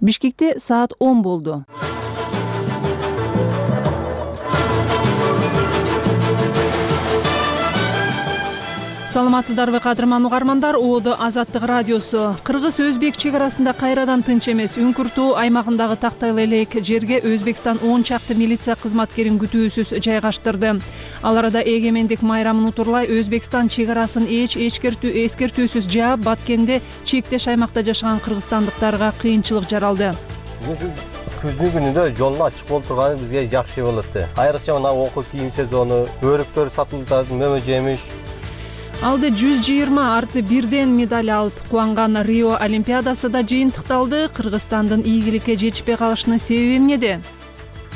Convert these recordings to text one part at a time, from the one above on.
Бишкекте саат 10 болду. Саламатсыздарбы кадырман угармандар, Оодо Азаттык радиосу. Кыргыз-Өзбек чек арасында кайрадан тынч эмес. Үңкүртөө аймагындагы Тактайлы элек жерге Өзбекстан 10 чакты милиция кызматкерин күтүүсүз жайгаштырды. Ал арада эгемендик майрамын утурлай Өзбекстан чек арасын эскертүүсүз жаап, Баткенде чектеш аймакта жашаган кыргызстандыктарга кыйынчылык жаралды. Күздүн күнүндө жолун ачык болуп турганы бизге жакшы болот. Айрыкча мына окуу кийим сезону, өрүктөр сатылып атат, мөмө жемиш. Алды 120 арты бирден медаль алып кубанган Рио Олимпиадасы да жыйынтыкталды. Кыргызстандын ийгиликке жетишпей калышынын себеби эмнеде?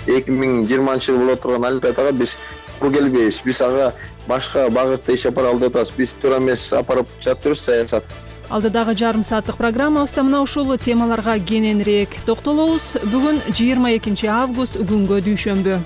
2020 болот турган Олимпиадага биз кур келбейбиз. Биз ага башка багытта иш алып алып атабыз. Биз туура эмес апарып жатырбыз саясат. Алдыдагы жарым сааттык программабызда мына ушул темаларга кененирээк токтолобуз. Бүгүн 22 август, күнгө дүйшөмбү.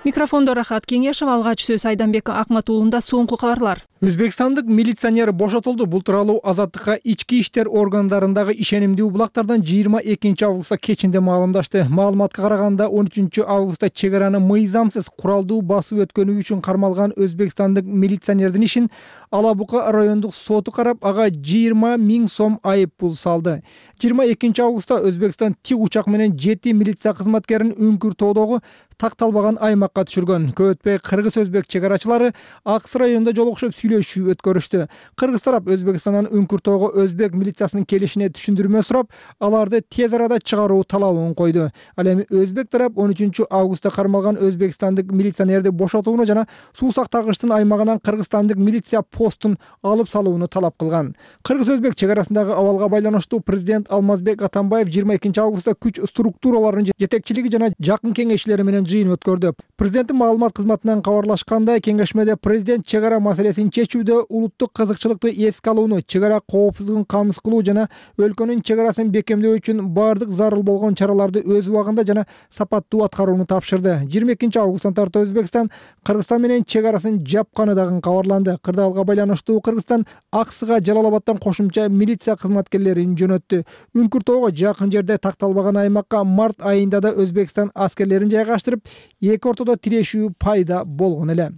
Микрофондо Рахат Кеңешев, алгач сөз Айданбек Акматуулунда. Соңку кабарлар. Өзбекстандык милиционер бошотулду. Бул тууралуу Азаттыкка ички иштер органдарындагы ишенимдүү булактардан 22 августта кечинде маалымдашты. Маалыматка караганда 13 августта чек араны мыйзамсыз куралдуу басып өткөнү үчүн кармалган өзбекстандык милиционердин ишин Ала Бука райондук соту карап, ага 20 000 сом айып пул салды. 22 августта Өзбекстан тик учак менен 7 милиция кызматкерин Үңкүртөдөгү такталбаган аймакка түшүргөн. Көп өтпөй кыргыз-өзбек чек арачылары Аксы районунда жолугушуп сүйлөшүү өткөрүштү. Кыргыз тарап Өзбекстандан Үңкүртөөгө өзбек милициясынын келишине түшүндүрмө сурап, аларды тез арада чыгаруу талабын койду. Ал эми өзбек тарап 13 августта кармалган өзбекстандык милиционерди бошотууну жана суу сактагычтын аймагынан кыргызстандык милиция постун алып салууну талап кылган. Кыргыз-өзбек чек арасындагы абалга байланыштуу президент Алмазбек Атамбаев 22 августта күч структураларынын жетекчилиги жана жакын кеңешчилери менен жыйын өткөрдү. Президенттин маалымат кызматынан кабарлашкандай, кеңешмеде президент чек ара маселесин чечүүдө улуттук кызыкчылыкты эске алууну, чек ара коопсуздугун камсыз кылуу жана өлкөнүн чек арасын бекемдөө үчүн баардык зарыл болгон чараларды өз убагында жана сапаттуу аткарууну тапшырды. 22 августтан тарта Өзбекстан Кыргызстан менен чек арасын жапканы дагы кабарланды. Кырдаалга байланыштуу Кыргызстан Аксыга Жалалабадтан кошумча милиция кызматкерлерин жөнөттү. Үңкүртөөгө жакын жерде такталбаган аймакка март айында да Өзбекстан аскерлерин жайгаштырып, эки ортодо тирешүү пайда болгон эле.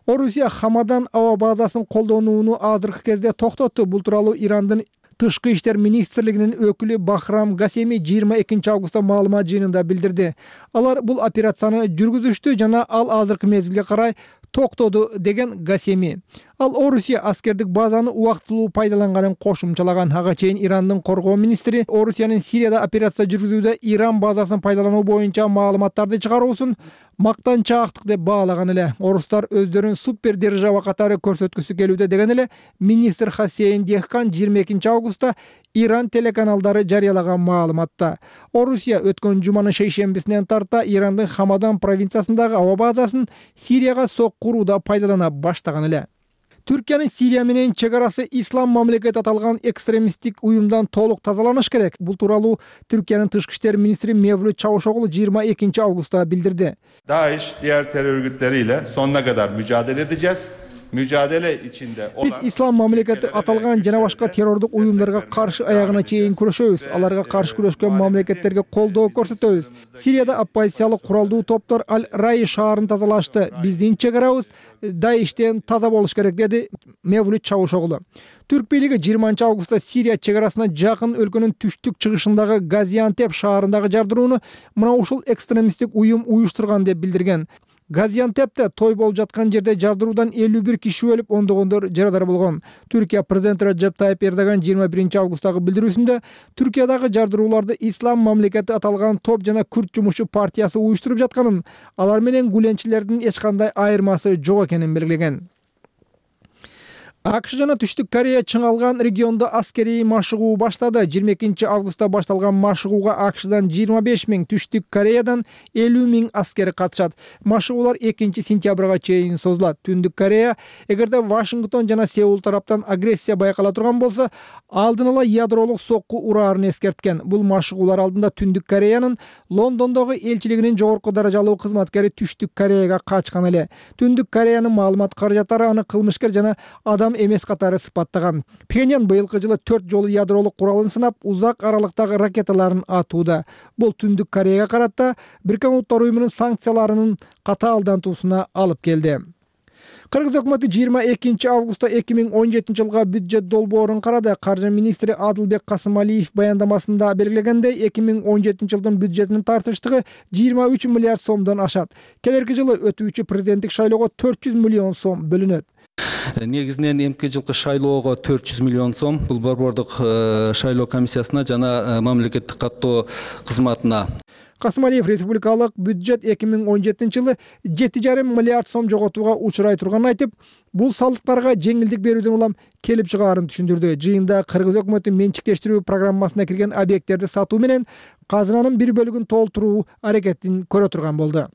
Орусия Хамадан аба базасын колдонууну азыркы кезде токтотту. Бул тууралуу Ирандын Тышкы иштер министрлигинин өкүлү Бахрам Гасеми 22 августта маалымат жыйынында билдирди. Алар бул операцияны жүргүзүштү жана ал азыркы мезгилге карай токтоду деген Гасеми. Ал Орусия аскердик базаны убактылуу пайдаланганын кошумчалаган. Ага чейин Ирандын коргоо министри Орусиянын Сирияда операция жүргүзүүдө Иран базасын пайдалануу боюнча маалыматтарды чыгаруусун мактанчаактык деп баалаган эле. Орустар өздөрүн супер держава катары көрсөткүсү келүүдө деген эле министр Хасейн Дехкан 22 августта Иран телеканалдары жарыялаган маалыматта. Орусия өткөн жуманын шейшембисинен тарта Ирандын Хамадан провинциясындагы аба базасын Сирияга сок курууда пайдалана баштаган эле. Түркиянын Сирия менен чек арасы ислам мамлекети аталган экстремисттик уюмдан толук тазаланыш керек. Бул тууралуу Түркиянын тышкы иштер министри Mevlut Çavuşoğlu 22 августта билдирди. DAEŞ diğer terör örgütleriyle sonuna kadar mücadele edeceğiz. Mücadele içinde olan... Биз ислам мамлекети аталган жана башка террордук уюмдарга каршы аягына чейин күрөшөбүз. Аларга каршы күрөшкөн мамлекеттерге колдоо көрсөтөбүз. Сирияда оппозициялык куралдуу топтор Аль-Рай шаарын тазалашты. Биздин чек арабыз Даиштен таза болуш керек, деди Mevlut Çavuşoğlu. Түрк бийлиги 20 августта Сирия чек арасына жакын өлкөнүн түштүк чыгышындагы Газиантеп шаарындагы жардырууну мына ушул экстремисттик уюм уюштурган деп билдирген. Газиантепте той болуп жаткан жерде жардыруудан 51 киши өлүп, ондогондор жарадар болгон. Түркия президенти Recep Tayyip Erdogan 21 августтагы билдирүүсүндө Түркиядагы жардырууларды ислам мамлекети аталган топ жана Күрд жумушчу партиясы уюштуруп жатканын, алар менен гүленчилердин эч кандай айырмасы жок экенин белгилеген. АКШ жана Түштүк Корея чыңалган региондо аскерий машыгуу баштады. 22 августта башталган машыгууга АКШдан 25 000, Түштүк Кореядан 50 000 аскер катышат. Машыгуулар 2 сентябрга чейин созулат. Түндүк Корея эгерде Вашингтон жана Сеул тараптан агрессия байкала турган болсо, алдын ала ядролук сокку ураарын эскерткен. Бул машыгуулар алдында Түндүк Кореянын Лондондогу элчилигинин жогорку даражалуу кызматкери Түштүк Кореяга качкан эле. Түндүк Кореянын маалымат каражаттары аны кылмышкер жана адам мыйзам эмес катары сыпаттаган. Пхеньян быйылкы жылы 4 жолу ядролук куралын сынап, узак аралыктагы ракеталарын атууда. Бул Түндүк Кореяга карата Бириккен Улуттар Уюмунун санкцияларынын катаалдантуусуна алып келди. Кыргыз өкмөтү 22 августта 2017 жылга бюджет долбоорун карады. Каржы министри Адылбек Касымалиев баяндамасында белгилегендей, 2017 жылдын бюджетинин тартыштыгы 23 миллиард сомдон ашат. Келерки жылы өтүүчү президенттик шайлоого 400 миллион сом бөлүнөт. Негизинен эмки жылкы шайлоого 400 миллион сом, бул борбордук шайлоо комиссиясына жана мамлекеттик каттоо кызматына. Касымалиев республикалык бюджет 2017 жылы 7,5 миллиард сом жоготууга учурай турганын айтып, бул салыктарга жеңилдик берүүдөн улам келип чыгаарын түшүндүрдү. Жыйында Кыргыз өкмөтү менчиктештирүү программасына кирген объекттерди сатуу менен казынанын бир бөлүгүн толтуруу аракетин көрө турган болду.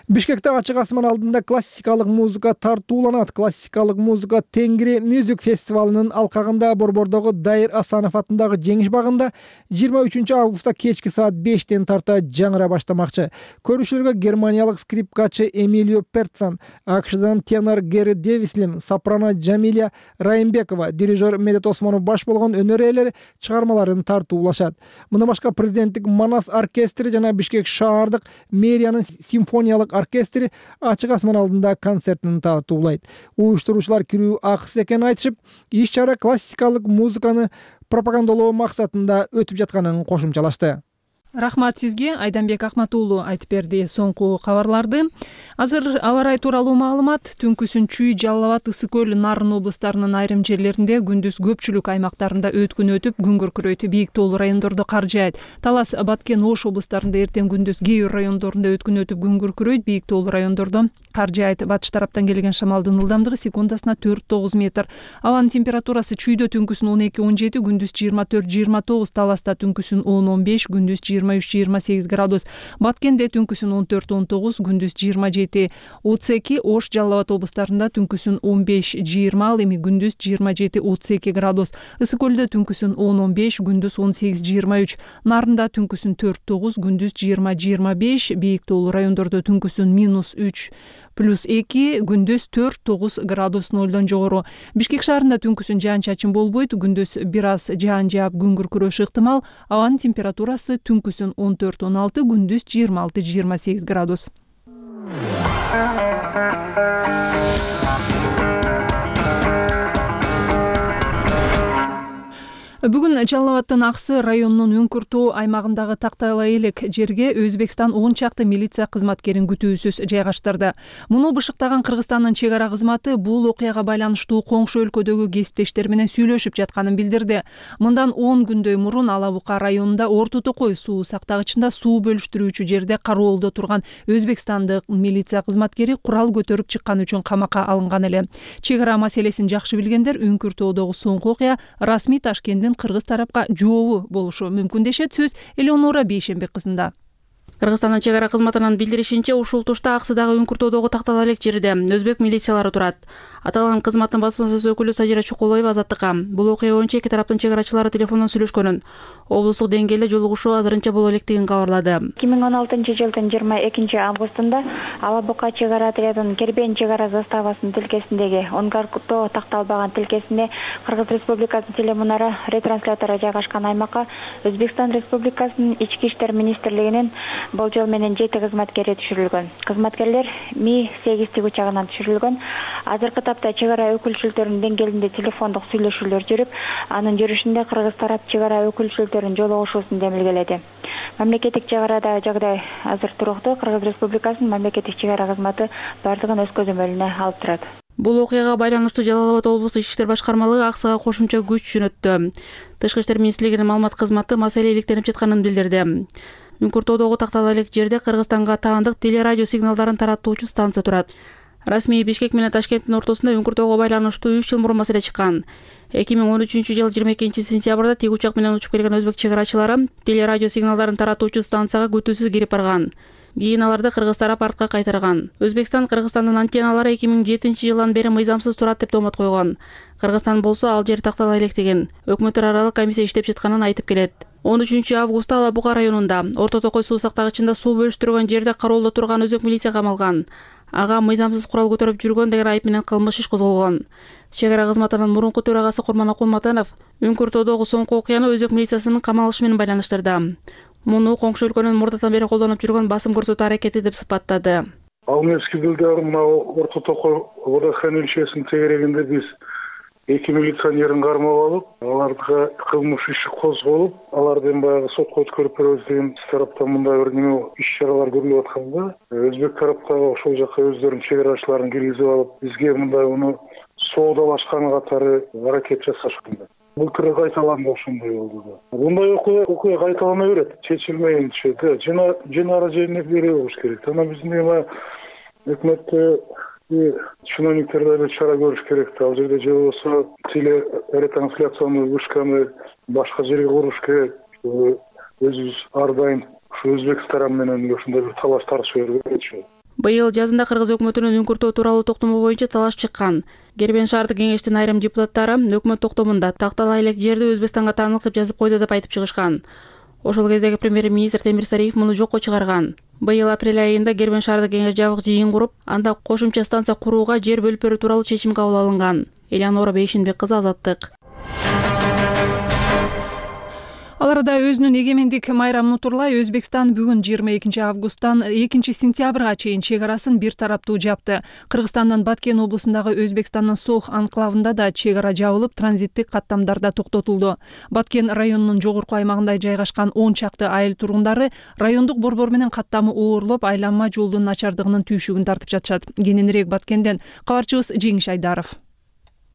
Бишкекте ачык асман алдында классикалык музыка тартууланат. Классикалык музыка Тенгри Music фестивалынын алкагында борбордогу Дайыр Асанов атындагы Жеңиш багында 23 августта кечки саат 5-тен тарта жаңыра баштамакчы. Көрүүчүлөргө германиялык скрипкачы Эмилио Перцан, АКШдан тенор Гэри Дэвислим, сопрано Джамиля Райымбекова, дирижер Медет Осмонов баш болгон өнөр ээлери чыгармаларын тартуулашат. Мындан башка президенттик Манас оркестри жана Бишкек шаардык мэриянын симфониялык оркестри ачык асман алдында концертин тартуулайт. Уюштуруучулар кирүү акысыз экенин айтышып, иш-чара классикалык музыканы пропагандалоо максатында өтүп жатканын кошумчалашты. Рахмат сизге, Айданбек Акмат уулу айтып берди соңку кабарларды. Азыр аба ырайы тууралуу маалымат. Түнкүсүн Чүй, Жалал Абад, Ысык көл, Нарын облустарынын айрым жерлеринде, күндүз көпчүлүк аймактарында өткүн өтүп, күн күркүрөйт. Бийик тоолуу райондордо кар жаайт. Талас, Баткен, Ош облустарында эртең күндүз кээ бир райондорунда өткүн өтүп, күн күркүрөйт. Бийик тоолуу райондордо кар жаайт. Батыш тараптан келген шамалдын ылдамдыгы секундасына 4-9 метр. Абанын температурасы Чүйдө түнкүсүн 12-17, күндүз 24-29, Таласта түнкүсүн 10-15, күндүз 23-28 градус. Баткенде түнкүсүн 14-19, күндүз 27-32, Ош, Жалал Абад облустарында түнкүсүн 15-20, ал эми күндүз 27-32 градус. Ысык көлдө түнкүсүн 10-15, күндүз 18-23, Нарында түнкүсүн 4-9, күндүз 20-25, бийик тоолуу райондордо түнкүсүн -3+2, күндүз 4-9 градус нолдон жогору. Бишкек шаарында түнкүсүн жаан-чачын болбойт, күндүз бир аз жаан жаап, күн күркүрөшү ыктымал. Абанын температурасы түнкүсүн 14-16, күндүз 26-28 градус. Бүгүн Жалал Абадтын Аксы районунун Үңкүртөө аймагындагы Тактайлай элек жерге Өзбекстан 10 чакты милиция кызматкерин күтүүсүз жайгаштырды. Муну бышыктаган Кыргызстандын чек ара кызматы бул окуяга байланыштуу коңшу өлкөдөгү кесиптештер менен сүйлөшүп жатканын билдирди. Мындан 10 күндөй мурун Ала Бука районунда Орто Токой суу сактагычында суу бөлүштүрүүчү жерде кароолдо турган өзбекстандык милиция кызматкери курал көтөрүп чыкканы үчүн камакка алынган эле. Чек ара маселесин жакшы билгендер Үңкүртөөдөгү соңку окуя расмий Ташкенттин кыргыз тарапка жообу болушу мүмкүн дешет. Сөз Элеонора Бейшембек кызында. Кыргызстандын чек ара кызматынын билдиришинче, ушул тушта Аксыдагы Үңкүртөөдөгү Тактайлай элек жерде өзбек милициялары турат. Аталган кызматтын басма сөз өкүлү Сажира Чукулоева Азаттыкка бул окуя боюнча эки тараптын чек арачылары телефондон сүйлөшкөнүн, облустук деңгээлде жолугушуу азырынча боло электигин кабарлады. 2016 жылдын 22 августунда Ала Бука чек ара отрядынын Кербен чек ара заставасынын тилкесиндеги Оңгаркутоо такталбаган тилкесине Кыргыз Республикасынын телемунара ретранслятору жайгашкан аймакка Өзбекстан Республикасынын Ички иштер министрлигинин болжол менен 7 кызматкери түшүрүлгөн. Кызматкерлер Ми-8 тигучагынан түшүрүлгөн. Азыркы тапта чек ара өкүлчүлүктөрүнүн деңгээлинде телефондук сүйлөшүүлөр жүрүп, анын жүрүшүндө Кыргыз тарап чек ара өкүлчүлүктөрүнүн жолугушуусун демилгеледи. Мамлекеттик чек арада жагдай азыр туруктуу. Кыргыз Республикасынын мамлекеттик чек ара кызматы бардыгын өз көзөмөлүнө алып турат. Бул окуяга байланыштуу Жалал Абад облустук ички иштер башкармалыгы Аксыга кошумча күч жөнөттү. Тышкы иштер министрлигинин маалымат кызматы маселе иликтенип жатканын билдирди. Үңкүртөөдөгү Тактайлай элек жерде Кыргызстанга таандык телерадио сигналдарын таратуучу станция турат. Расмий Бишкек менен Ташкенттин ортосунда Үңкүртөөгө байланыштуу 3 жыл мурун маселе чыккан. 2013 жылы 22 сентябрда тик учак менен учуп келген өзбек чек арачылары телерадио сигналдарын таратуучу станцияга күтүүсүз кирип барган. Кийин аларды кыргыз тарап артка кайтарган. Өзбекстан Кыргызстандын антенналары 2007 жылдан бери мыйзамсыз турат деп томот койгон. Кыргызстан болсо ал жер Тактайлай элек деген өкмөттөр аралык комиссия иштеп жатканын айтып келет. 13 августта Ала Бука районунда Орто Токой суу сактагычында суу бөлүштүргөн жерде кароолдо турган өзбек милиция камалган. ага мыйзамсыз курал көтөрүп жүргөн деген айып менен кылмыш иш козголгон. Чек ара кызматынын мурунку төрагасы Курманокул Матанов Үңкүртөдөгү соңку окуяны өзбек милициясынын камалышы менен байланыштырды. Муну коңшу өлкөнүн мурдатан бери колдонуп жүргөн басым көрсөтүү аракети деп сыпаттады. Ал мезгилде мына Орто Токой водохранилищесинин тегерегинде биз 2 милиционерин кармап алып, аларга кылмыш иши козголуп, алардын баягы сотко өткөрүп беребиз деген тараптан мындай бир неме иш-чаралар көрүлүп атканда, өзбек тараптагы ошол жака өздөрүнүн чек арачыларын киргизип алып, бизге мындай уну соодалашкан катары аракет жасашкан. Былтыр кайталанды ошондой болду да. Мындай окуя кайталана берет, чечилмейинче да, жана жерине бере болуш керек. Ана биздин өкмөттө чиновниктер да чара көрүш керек. Ал жерде же болбосо телетрансляционный вышканы башка жерге куруш керек. Өзүбүз ар дайым ушу Өзбекстан менен ошондой бир талаш тартышып беребиз. Быйыл жазында кыргыз өкмөтүнүн Үңкүртөө тууралуу токтому боюнча талаш чыккан. Кербен шаардык кеңештин айрым депутаттары өкмөт токтомунда тактала элек жерди Өзбекстанга таандык деп жазып койду деп айтып чыгышкан. Ошол кездеги премьер-министр Темир Сариев муну жокко чыгарган. Быйыл апрель айында Кербен шаардык кеңеш жабык жыйын куруп, анда кошумча станция курууга жер бөлүп берүү тууралуу чечим кабыл алынган. Элеонора Бейшинбек кызы, Азаттык. Ал арада өзүнүн эгемендик майрамын утурлай Өзбекстан бүгүн 22 августтан 2 сентябрга чейин чек арасын бир тараптуу жапты. Кыргызстандын Баткен облусундагы Өзбекстандын Сох анклавында да чек ара жабылып, транзиттик каттамдарда токтотулду. Баткен районунун жогорку аймагында жайгашкан 10 чакты айыл тургундары райондук борбор менен каттамы оорлоп, айланма жолдун начардыгынын түйшүгүн тартып жатышат. Кененирээк Баткенден кабарчыбыз Жеңиш Айдаров.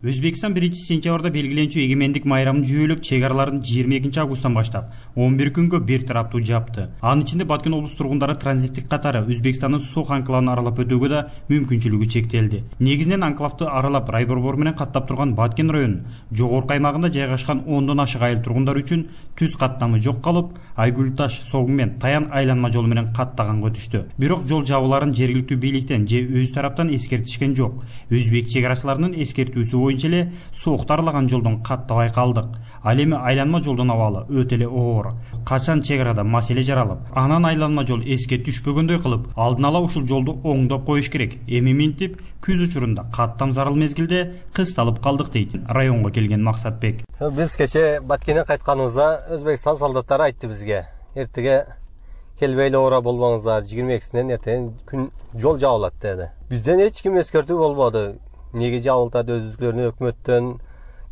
Өзбекстан 1 сентябрда белгиленчү эгемендик майрамын жүйөлөп, чек араларын 22 августтан баштап 11 күнгө бир тараптуу жапты. Анын ичинде Баткен облус тургундары транзиттик катары Өзбекстандын Сох анклавын аралап өтүүгө да мүмкүнчүлүгү чектелди. Негизинен анклавды аралап райборбор менен каттап турган Баткен районунун жогорку аймагында жайгашкан 10дон ашык айыл тургундары үчүн түз каттамы жок калып, Айгүл Таш, Согун мен Таян айланма жолу менен каттаганга өтүштү. Бирок жол жабууларын жергиликтүү бийликтен же өз тараптан эскертишкен жок. Өзбек чек арачыларынын эскертүүсү боюнча эле Сохто арылаган жолдон каттабай калдык. Ал эми айланма жолдон абалы өтө эле оор. Качан чек арада маселе жаралып, анан айланма жол эске түшпөгөндөй кылып, алдын ала ушул жолду оңдоп коюш керек. Эми минтип, күз учурунда каттам зарыл мезгилде кысталып калдык дейт районго келген Максатбек. Биз кече Баткенден кайтканыбызда Өзбекстан солдаттары айтты бизге: "Эртеге келбей эле ора болбоңуздар, 22-синен эртең күн жол жабылат" деди. Бизден эч ким эскертүү болбоду. Неге жабылтат, өзүлөрүнүн өкмөттөн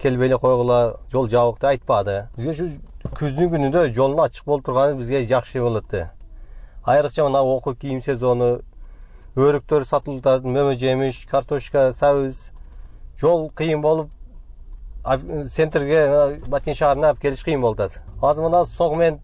келбей эле койгула, жол жабык деп айтпады. Бизге ушу күздүн күнүндө жолдун ачык болуп турганы бизге жакшы болот. Айрыкча мына окуу кийим сезону, өрүктөр сатылат, мөмө жемиш, картошка, сабыз. Жол кыйын болуп, центрге, Баткен шаарына алып келиш кыйын болот. Азыр мына Сог менен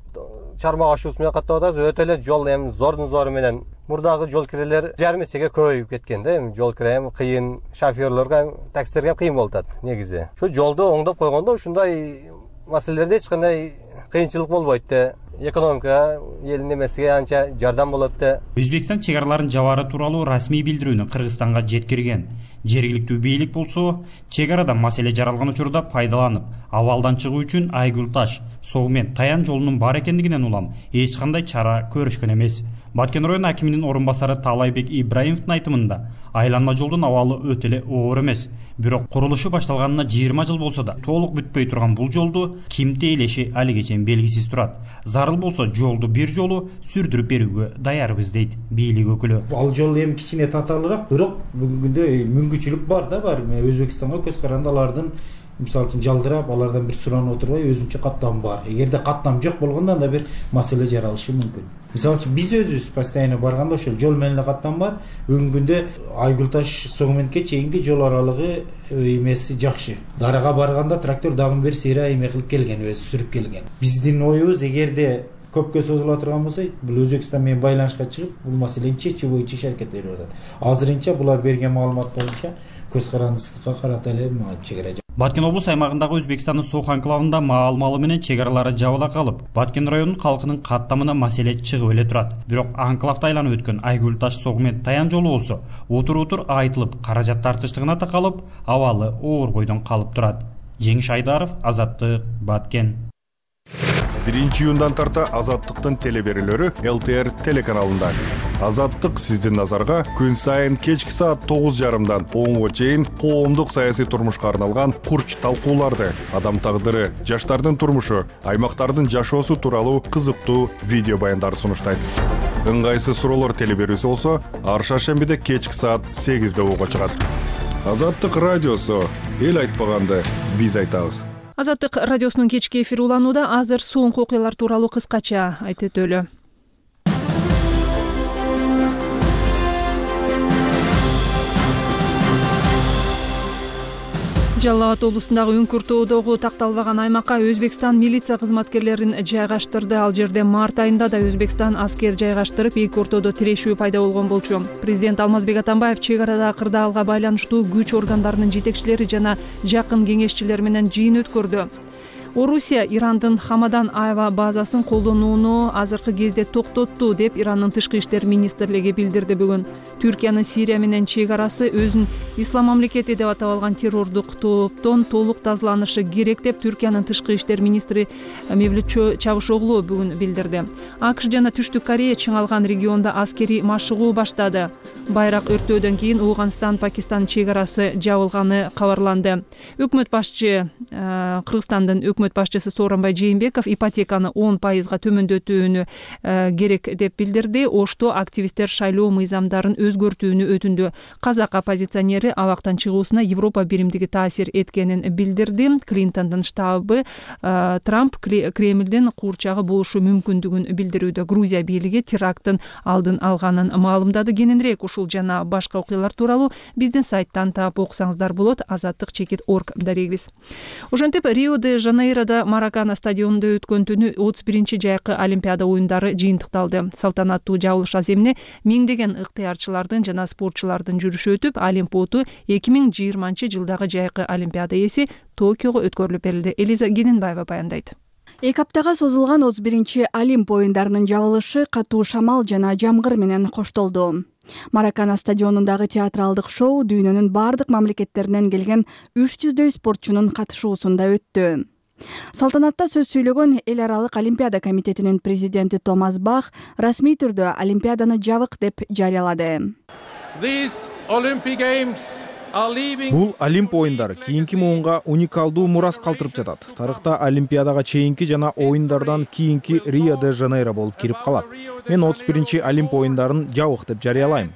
Чармак ашуусу менен каттап атабыз, өтө эле жол эми зордун зору менен. Мурдагы жол кирелер жарым эсеге көбөйүп кеткен да, эми жол кире кыйын, шофёрлорго, таксилерге кыйын болуп атат негизи. Шу жолду оңдоп койгондо ушундай маселелерде эч кандай кыйынчылык болбойт да. Экономика элдин эмесиге анча жардам болот да. Өзбекстан чек араларын жабары тууралуу расмий билдирүүнү Кыргызстанга жеткирген. Жергиликтүү бийлик болсо, чек арада маселе жаралган учурда пайдаланып, абалдан чыгуу үчүн Айгүл Таш, Сог мен Таян жолунун бар экендигинен улам эч кандай чара көрүшкөн эмес. Баткен район акиминин орун басары Таалайбек Ибраимовдун айтымында, айланма жолдун абалы өтө эле оор эмес. Бирок курулушу башталганына 20 жыл болсо да, толук бүтпөй турган бул жолду ким тейлеши алигече белгисиз турат. Зарыл болсо жолду бир жолу сүрдүрүп берүүгө даярбыз дейт бийлик өкүлү. Ал жол эми кичине татаалыраак, бирок бүгүнкү күндө мүмкүнчүлүк бар да, бар. Өзбекстанга көз каранды алардын мисалы үчүн жалдырап, алардан бир суранып отурбай өзүнчө каттам бар. Эгерде каттам жок болгондо анда бир маселе жаралышы мүмкүн. Мисалы үчүн биз өзүбүз постоянно барганда ошол жол менен эле каттам бар. Бүгүнкү күндө Айгүл Таш Согуменке чейинки жол аралыгы эмеси жакшы. Дарага барганда трактор дагы бир сыйра эме кылып келген, өзү сүрүп келген. Биздин оюбуз эгерде көпкө созула турган болсо, бул Өзбекстан менен байланышка чыгып, бул маселени чечүү боюнча иш аракет берип атат. Азырынча булар берген маалымат боюнча көз карандысызга карата эле чек ара. Баткен облус аймагындагы Өзбекстандын Сох анклавында маал-малы менен чек аралары жабыла калып, Баткен районунун калкынын каттамына маселе чыгып эле турат. Бирок анклавда айланып өткөн Айгүл Таш Сог менен Таян жолу болсо, утур айтылып, каражат тартыштыгына такалып, абалы оор бойдон калып турат. Жеңиш Айдаров, Азаттык, Баткен. 1-июндан тарта Азаттыктын телеберүүлөрү ЛТР телеканалында. Азаттык сиздин назарга күн сайын кечки саат 9:30 10:00 чейин коомдук саясий турмушка арналган курч талкууларды, адам тагдыры, жаштардын турмушу, аймактардын жашоосу тууралуу кызыктуу видео баяндарды сунуштайт. Ыңгайсыз суроолор телеберүүсү болсо, ар шаршембиде кечки саат 8:00 угуга чыгат. Азаттык радиосу, эл айтпаганды биз айтабыз. Азаттык радиосунун кечки эфири уланууда. Азыр соңку окуялар тууралуу кыскача айтып өтөлү. Жалал Абад облусундагы Үңкүртөдөгү такталбаган аймакка Өзбекстан милиция кызматкерлерин жайгаштырды. Ал жерде март айында да Өзбекстан аскер жайгаштырып, эки ортодо тирешүү пайда болгон болчу. Президент Алмазбек Атамбаев чек арада кырдаалга байланыштуу күч органдарынын жетекчилери жана жакын кеңешчилер менен жыйын өткөрдү. Орусия Ирандын Хамадан аба базасын колдонууну азыркы кезде токтотту деп Ирандын тышкы иштер министрлиги билдирди бүгүн. Түркиянын Сирия менен чек арасы өзүн Ислам мамлекети деп атап алган террордук топтон толук тазаланышы керек деп Түркиянын тышкы иштер министри Мевлют Чавушоглу бүгүн билдирди. АКШ жана Түштүк Корея чыңалган региондо аскерий машыгуу баштады. Байрак өртөөдөн кийин Ауган-Пакистан чек арасы жабылганы кабарланды. Өкмөт башчы Кыргызстандын өкмөт башчысы Сооронбай Жээнбеков ипотеканы 10%га төмөндөтүүнү керек деп билдирди. Ошто активисттер шайлоо мыйзамдарын өзгөртүүнү өтүндү. Казак оппозиционери абактан чыгуусуна Европа биримдиги таасир эткенин билдирди. Клинтондун штабы Трамп Кремлдин куурчагы болушу мүмкүндүгүн билдирүүдө. Грузия бийлиги теракттын алдын алганын маалымдады. Кененирээк ушул жана башка окуялар тууралуу биздин сайттан таап окусаңыздар болот. Азаттык.org дарегибиз. Ошентип Рио-де-Жанейродо Маракана стадионунда өткөн түнү 31 жайкы Олимпиада оюндары жыйынтыкталды. Салтанаттуу жабылыш аземине миңдеген ыктыярчылардын жана спортчулардын жүрүшү өтүп, Олимпиаду 2020 жылдагы жайкы Олимпиада эси Токиого өткөрүлүп берилди. Элиза Гененбаева баяндайт. 2 аптага созулган 31 Олимп оюндарынын жабылышы катуу шамал жана жамгыр менен коштолду. Маракана стадионундагы театралдык шоу дүйнөнүн бардык мамлекеттеринен келген 300дөй спортчунун катышуусунда өттү. Салтанатта сөз сүйлөгөн Эл аралык Олимпиада комитетинин президенти Томас Бах расмий түрдө Олимпиаданы жабык деп жарыялады. Бул Олимп оюндары кийинки муунга уникалдуу мурас калтырып жатат. Тарыхта Олимпиадага чейинки жана оюндардан кийинки Рио-де-Жанейро болуп кирип калат. Мен 31 Олимп оюндарын жабык деп жарыялайм.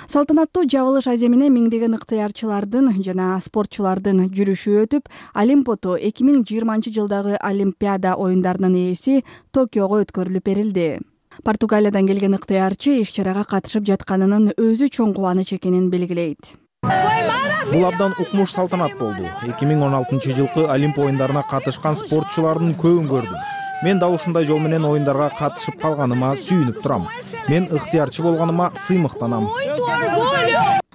Салтанаттуу жабылыш аземине миңдеген ыктыярчылардын жана спортчулардын жүрүшү өтүп, Олимпиаду 2020 жылдагы Олимпиада оюндарынын ээси Токиого өткөрүлүп берилди. Португалиядан келген ыктыярчы иш-чарага катышып жатканынын өзү чоң кубаныч экенин белгилейт. Бул абдан укмуш салтанат болду. 2016 жылкы Олимп оюндарына катышкан спортчулардын көбүн көрдүм. Мен да ушундай жол менен оюндарга катышып калганыма сүйүнүп турам. Мен ыктыярчы болгоныма сыймыктанам.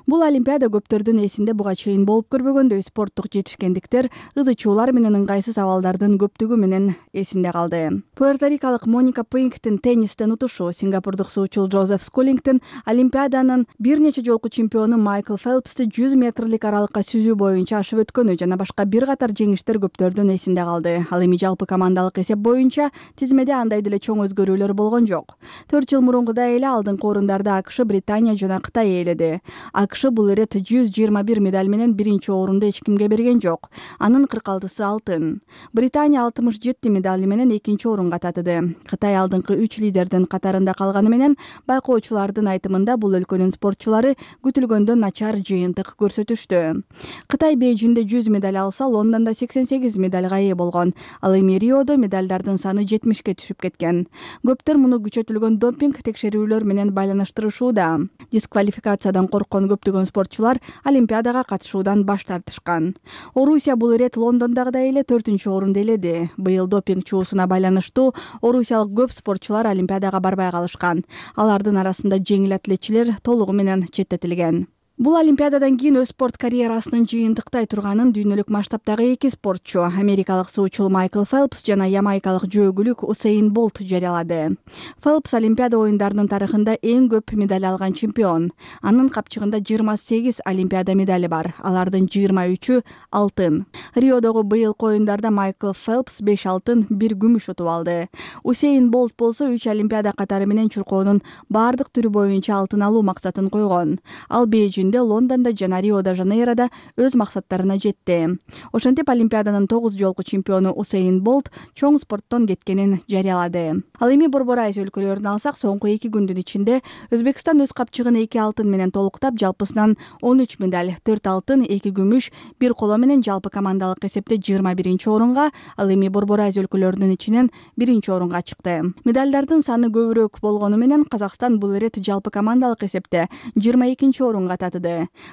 Бул Олимпиада көптөрдүн эсинде буга чейин болуп көрбөгөндөй спорттук жетишкендиктер, ызычуулар менен ыңгайсыз абалдардын көптүгү менен эсинде калды. Пуэрторикалык Моника Пуингтин теннистен утушу, сингапурдук суучул Джозеф Скулингтин Олимпиаданын бир нече жолку чемпиону Майкл Фелпсти 100 метрлик аралыкка сүзүү боюнча ашып өткөнү жана башка бир катар жеңиштер көптөрдүн эсинде калды. Ал эми жалпы командалык эсеп боюнча тизмеде андай деле чоң өзгөрүүлөр болгон жок. 4 жыл мурункудай эле алдыңкы орундарды АКШ, Британия жана Кытай ээледи. АКШ бул ирет 121 медаль менен биринчи орунду эч кимге берген жок. Анын 46сы алтын. Британия 67 медаль менен экинчи орунга татыды. Кытай алдыңкы 3 лидердин катарында калганы менен байкоочулардын айтымында бул өлкөнүн спортчулары күтүлгөндөн начар жыйынтык көрсөтүштү. Кытай Бейжиңде 100 медаль алса, Лондондо 88 медальга ээ болгон. Ал эми Риодо медальдардын саны 70ке түшүп кеткен. Көптөр муну күчөтүлгөн допинг текшерүүлөр менен байланыштырышууда. Дисквалификациядан корккон көптөгөн спортчулар Олимпиадага катышуудан баш тартышкан. Орусия бул ирет Лондондогудай эле 4-орунду ээледи. Быйыл допинг чуусуна байланыштуу орусиялык көп спортчулар Олимпиадага барбай калышкан. Алардын арасында жеңил атлетчилер толугу менен четтетилген. Бул Олимпиададан кийин өз спорт карьерасынын жыйынтыктай турганын дүйнөлүк масштабдагы эки спортчу америкалык суучул Майкл Фелпс жана ямайкалык жөөгүлүк Усейн Болт жарыялады. Фелпс Олимпиада оюндарынын тарыхында эң көп медаль алган чемпион. Анын капчыгында 28 Олимпиада медали бар. Алардын 23-ü алтын. Риодогу быйылкы оюндарда Майкл Фелпс 5 алтын, 1 күмүш утуп алды. Усейн Болт болсо 3 Олимпиада катары менен чуркоонун бардык түрү боюнча алтын алуу максатын койгон. Ал Бейжиңде, Лондондо жана Рио-де-Жанейрода өз максаттарына жетти. Ошентип Олимпиаданын 9 жолку чемпиону Усейн Болт чоң спорттон кеткенин жарыялады. Ал эми Борбор Азия өлкөлөрүн алсак, соңку 2 күндүн ичинде Өзбекстан өз капчыгын 2 алтын менен толуктап, жалпысынан 13 медаль, 4 алтын, 2 күмүш, 1 коло менен жалпы командалык эсепте 21-орунга, ал эми Борбор Азия өлкөлөрүнүн ичинен 1-орунга чыкты. Медалдардын саны көбүрөөк болгону менен Казакстан бул ирет жалпы командалык эсепте 22-орунга татыды.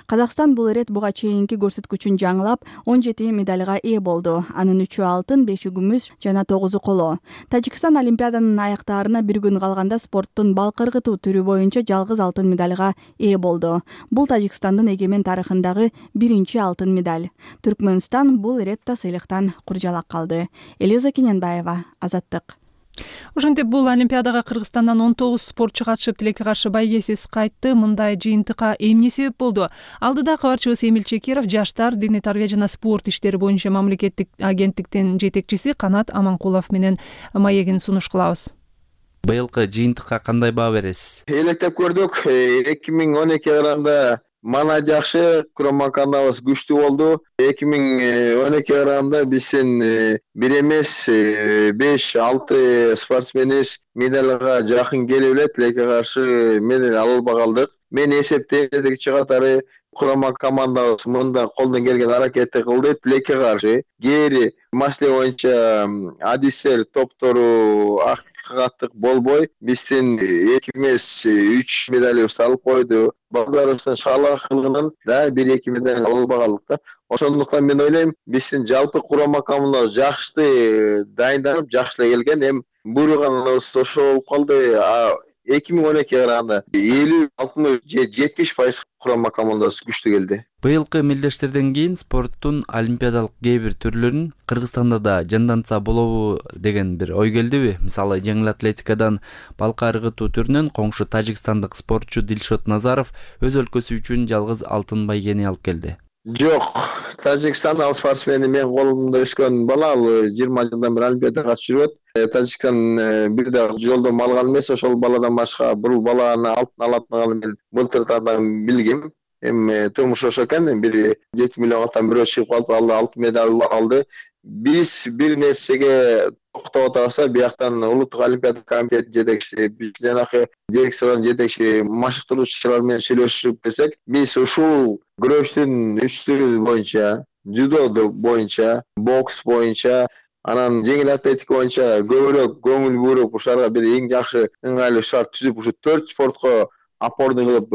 Казакстан бул ирет буга чейинки көрсөткүчүн жаңылап 17 медальга ээ болду. Анын 3-ü алтын, 5-ü күмүш жана 9-у коло. Тажикстан Олимпиаданын аяктаарына 1 күн калганда спорттун бал кыргытуу түрү боюнча жалгыз алтын медальга ээ болду. Бул Тажикстандын эгемен тарыхындагы 1-чи алтын медаль. Түркмөнстан бул иретте сыйлыктан куржалак калды. Элиза Кененбаева, Азаттык. Ошентип бул Олимпиадага Кыргызстандан 19 спортчу катышып, тилекке каршы байгесиз кайтты. Мындай жыйынтыкка эмне себеп болду? Алдыда кабарчыбыз Эмил Чекиров жаштар, диний тарбия жана спорт иштери боюнча мамлекеттик агенттиктин жетекчиси Канат Аманкулов менен маегин сунуш кылабыз. Быйылкы жыйынтыкка кандай баа бересиз? Электеп көрдүк. 2012 жылында мана жакшы, курама командабыз күчтүү болду. 2012 жылында биздин 1 эмес 5-6 спортсменибиз медальга жакын келип эле, тилекке каршы медаль ала албай калдык. Мен эсептейм, катары курама командабыз мында колдон келген аракетти кылды, тилекке каршы. Кээри маселе боюнча адистер топтору акыйкаттык болбой, биздин 2 эмес 3 медалыбызды алып койду. Балдарыбыздын шаалак кылгынан да 1-2 медаль ала албай калдык да. Ошондуктан мен ойлойм, биздин жалпы курама командабыз жакшы дайынданып, жакшы келген. Эми буйруганыбыз ошо болуп калды. 2012 жылында 50-60 же 70% курама командасы күчтүү келди. Быйылкы мелдештерден кийин спорттун олимпиадалык кээ бир түрлөрүн Кыргызстанда да жандантса болобу деген бир ой келдиби? Мисалы, жеңил атлетикадан балка ыргытуу түрүнөн коңшу тажикстандык спортчу Дилшот Назаров өз өлкөсү үчүн жалгыз алтын байгени алып келди. Жок, Тажикстан ал спортсмени мен колумда өскөн бала, ал 20 жылдан бери олимпиадага катышып жүрөт. Тажикстан бир да жолдом алган эмес, ошол баладан башка бул баланы алтын алатынын мен былтыртадан билгем. Эми турмуш ошо экен, бир 7 миллиондан бирөө чыгып калып, ал алтын медаль алды. Биз бир нерсеге токтоп атабыз, бияктан улуттук олимпиада комитетинин жетекчиси, биз жанакы дирекциялардын жетекчиси, машыктыруучулар менен сүйлөшүп келсек, биз ушул күрөштүн 3 түрү боюнча, дзюдо боюнча, бокс боюнча, анан жеңил атлетика боюнча көбүрөөк көңүл буруп, ушарга бир эң жакшы ыңгайлуу шарт түзүп, ушу 4 спортко опорный кылып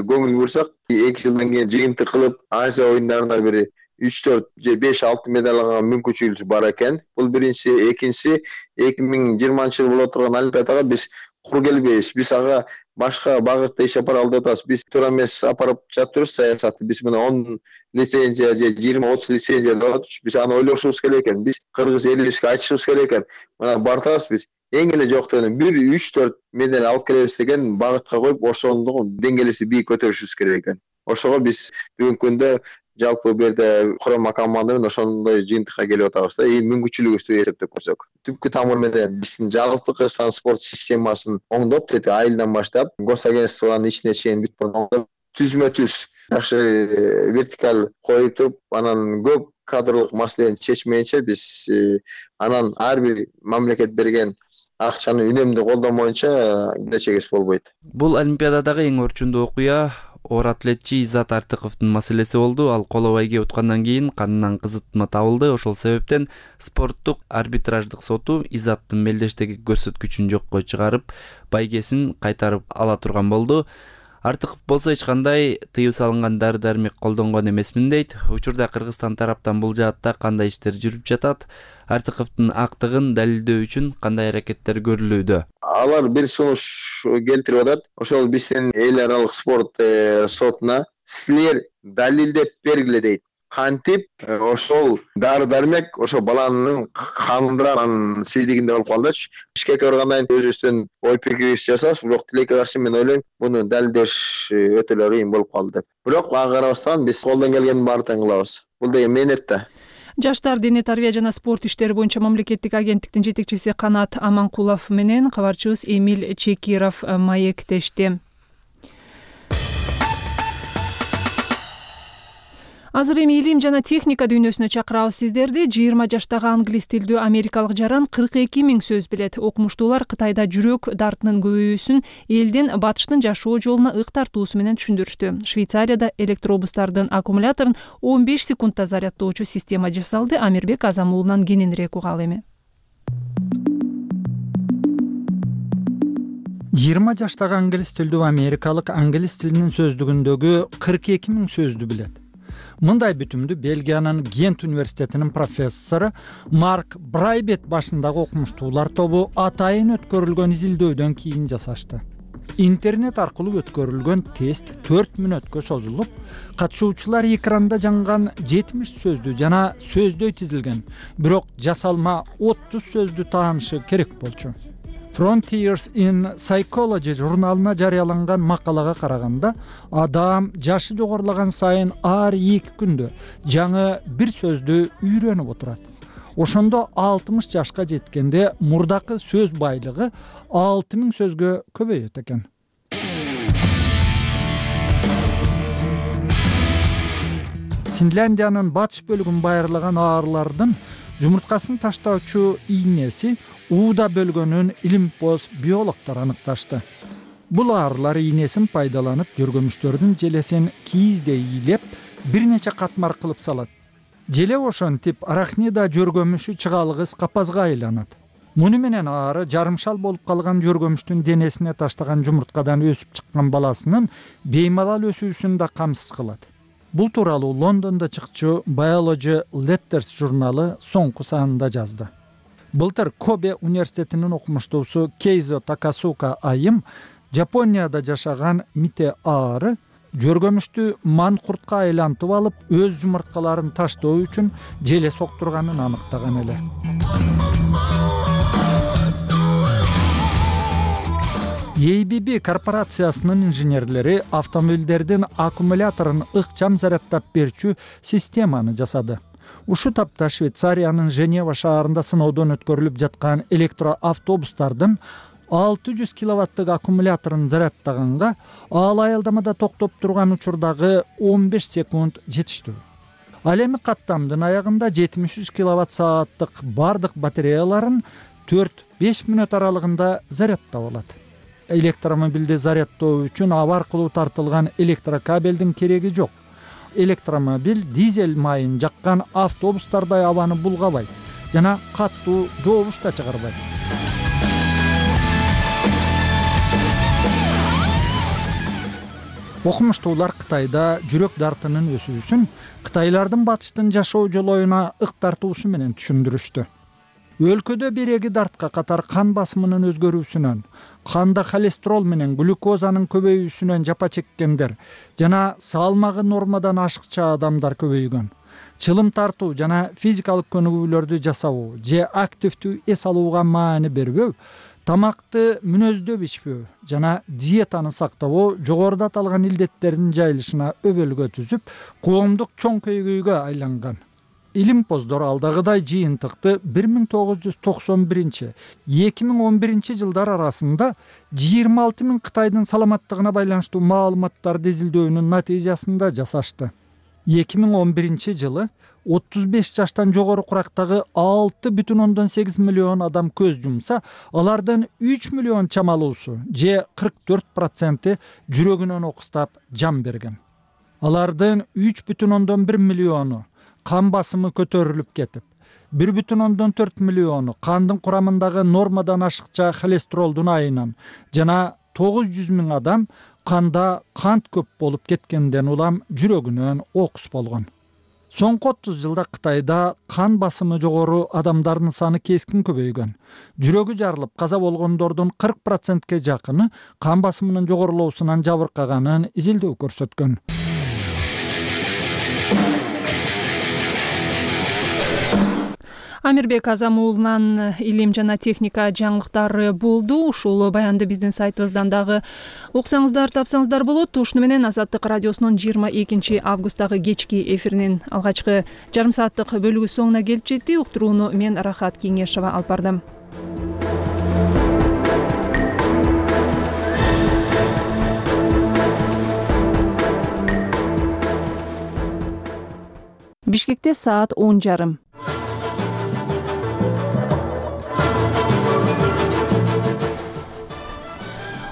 көңүл бурсак, 2 жылдан кийин жыйынтык кылып, Азия оюндарында бир 3-4 же 5-6 медаль алган мүмкүнчүлүк бар экен. Бул биринчи, экинчиси 2020-жылы боло турган олимпиадага биз кур келбейбиз. Биз ага башка багытта иш апара алып атабыз. Биз туура эмес апарып жатырбыз саясатты. Биз мына 10 лицензия же 20-30 лицензия алып, биз аны ойлошубуз керек экен. Биз кыргыз элибизге айтышыбыз керек экен. Мына бартабыз биз. Эң эле жоктон 1-3-4 медаль алып келебиз деген багытка коюп, ошондо деңгээлибизди бийик көтөрүшүбүз керек экен. Ошого биз бүгүнкү күндө жалпы бул жерде курама команда менен ошондой жыйынтыкка келип атабыз да. Мүмкүнчүлүгүбүздү эсептеп көрсөк. Түпкү тамыр менен биздин жалпы Кыргызстан спорт системасын оңдоп, айылдан баштап, госагентствонун ичине чейин бүт оңдоп, түзмө-түз жакшы вертикаль коюп туруп, анан көп кадрлык маселени чечмейинче биз анан ар бир мамлекет берген акчаны үнөмдүү колдомоюнча келечегибиз болбойт. Бул олимпиададагы эң орчундуу окуя оор атлетчи Иззат Артыковдун маселеси болду. Ал коло байге уткандан кийин канынан кызытма табылды. Ошол себептен спорттук арбитраждык соту Иззаттын мелдештеги көрсөткүчүн жокко чыгарып, байгесин кайтарып ала турган болду. Артыков болсо эч кандай тыюу салынган дары-дармек колдонгон эмесмин дейт. Учурда Кыргызстан тараптан бул жаатта кандай иштер жүрүп жатат? Артыковдун актыгын далилдөө үчүн кандай аракеттер көрүлүүдө? Алар бир сунуш келтирип атат. Ошол биздин эл аралык спорт сотуна силер далилдеп бергиле дейт. Кантип ошол дары дармек ошо баланын канында сийдигинде болуп калдычы. Ишке баргандан кийин өзүбүздөн ой пикирибизди жасабыз, бирок тилекке каршы мен ойлойм, муну далилдеш өтө эле кыйын болуп калды деп. Бирок ага карабастан биз колдон келгендин баардыгын кылабыз. Бул деген мээнет да. Жаштар, дене тарбия жана спорт иштери боюнча мамлекеттик агенттиктин жетекчиси Канат Аманкулов менен кабарчыбыз Эмиль Чекиров маектешти. Азыр эми илим жана техника дүйнөсүнө чакырабыз сиздерди. 20 жаштагы англис тилдүү америкалык жаран 42 000 сөз билет. Окумуштуулар Кытайда жүрөк дартынын көбөйүүсүн элдин батыштын жашоо жолуна ык тартуусу менен түшүндүрүштү. Швейцарияда электробустардын аккумуляторун 15 секундда зарядтоочу система жасалды. Амирбек Азамуулунан кененирээк угалы эми. 20 жаштагы англис тилдүү америкалык англис тилинин сөздүгүндөгү 42 000 сөздү билет. Мындай бүтүмдү Бельгиянын Гент университетинин профессору Марк Брайбет башындагы окумуштуулар тобу атайын өткөрүлгөн изилдөөдөн кийин жасашты. Интернет аркылуу өткөрүлгөн тест 4 мүнөткө созулуп, катышуучулар экранда жанган 70 сөздү жана сөздөй тизилген, бирок жасалма 30 сөздү таанышы керек болчу. Frontiers in Psychology журналына жарыяланган макалага караганда, адам жашы жогорулаган сайын ар 2 күндө жаңы бир сөздү үйрөнүп отурат. Ошондо 60 жашка жеткенде мурдакы сөз байлыгы 6000 сөзгө көбөйөт экен. Финляндиянын батыш бөлүгүн байырлаган аарылардын жумурткасын таштоочу ийнеси ууда бөлгөнүн илимпоз биологдор аныкташты. Бул аарылар ийнесин пайдаланып жөргөмүштөрдүн желесин кийиздей ийилеп, бир нече катмар кылып салат. Желе ошентип арахнида жөргөмүшү чыгалгыс капазга айланат. Муну менен аары жарымшал болуп калган жөргөмүштүн денесине таштаган жумурткадан өсүп чыккан баласынын беймалал өсүүсүн да камсыз кылат. Бул тууралуу Лондондо чыкчу Biology Letters журналы соңку санында жазды. Былтыр Кобе университетинин окумуштуусу Кейзо Такасука айым Жапонияда жашаган мите аары жөргөмүштү манкуртка айлантып алып, өз жумурткаларын таштоо үчүн желе соктурганын аныктаган эле. ABB корпорациясынын инженерлери автомобилдердин аккумуляторун ыкчам зарядтап берчү системаны жасады. Ушу тапта Швейцариянын Женева шаарында сыноодон өткөрүлүп жаткан электроавтобустардын 600 киловаттык аккумуляторун зарядтаганга ал аялдамада токтоп турган учурдагы 15 секунд жетиштүү. Ал эми каттамдын аягында 73 киловатт сааттык бардык батареяларын 4-5 мүнөт аралыгында зарядтап алат. Электромобилди зарядтоо үчүн аба аркылуу тартылган электрокабелдин кереги жок. Электромобиль дизель майын жаккан автобустардай абаны булгабайт жана каттуу добуш да чыгарбайт. Окумуштуулар Кытайда жүрөк дартынын өсүүсүн кытайлардын батыштын жашоо жолоюна ык тартуусу менен түшүндүрүштү. Өлкөдө береги дартка катар кан басымынын өзгөрүүсүнөн, канда холестерол менен глюкозанын көбөйүүсүнөн жапа чеккендер жана салмагы нормадан ашыкча адамдар көбөйгөн. Чылым тартуу жана физикалык көнүгүүлөрдү жасабуу же активдүү эс алууга маани бербөө, тамакты мүнөздөп ичпөө жана диетаны сактабоо жогоруда аталган илдеттердин жайылышына өбөлгө түзүп, коомдук чоң көйгөйгө айланган. Илимпоздор алдагыдай жыйынтыкты 1991-2011 жылдар арасында 26 000 Кытайдын саламаттыгына байланыштуу маалыматтарды изилдөөнүн натыйжасында жасашты. 2011 жылы 35 жаштан жогору курактагы 6,8 миллион адам көз жумса, алардын 3 миллион чамалуусу же 44% жүрөгүнөн окустап жан берген. Алардын 3,1 миллиону кан басымы көтөрүлүп кетип, 1,4 миллиону кандын курамындагы нормадан ашыкча холестеролдун айынан жана 900 000 адам канда кант көп болуп кеткенден улам жүрөгүнөн окус болгон. Соңку 30 жылда Кытайда кан басымы жогору адамдардын саны кескин көбөйгөн. Жүрөгү жарылып каза болгондордун 40%ке жакыны кан басымынын жогорулоосунан жабыркаганын изилдөө көрсөткөн. Амирбек Азам уулунан илим жана техника жаңылыктары болду. Ушул баянды биздин сайтыбыздан дагы уксаңыздар, тапсаңыздар болот. Ушуну менен Азаттык радиосунун 22 августтагы кечки эфиринин алгачкы жарым сааттык бөлүгү соңуна келип жетти. Уктурууну мен Рахат Кеңешова алып бардым. Бишкекте саат 10:30.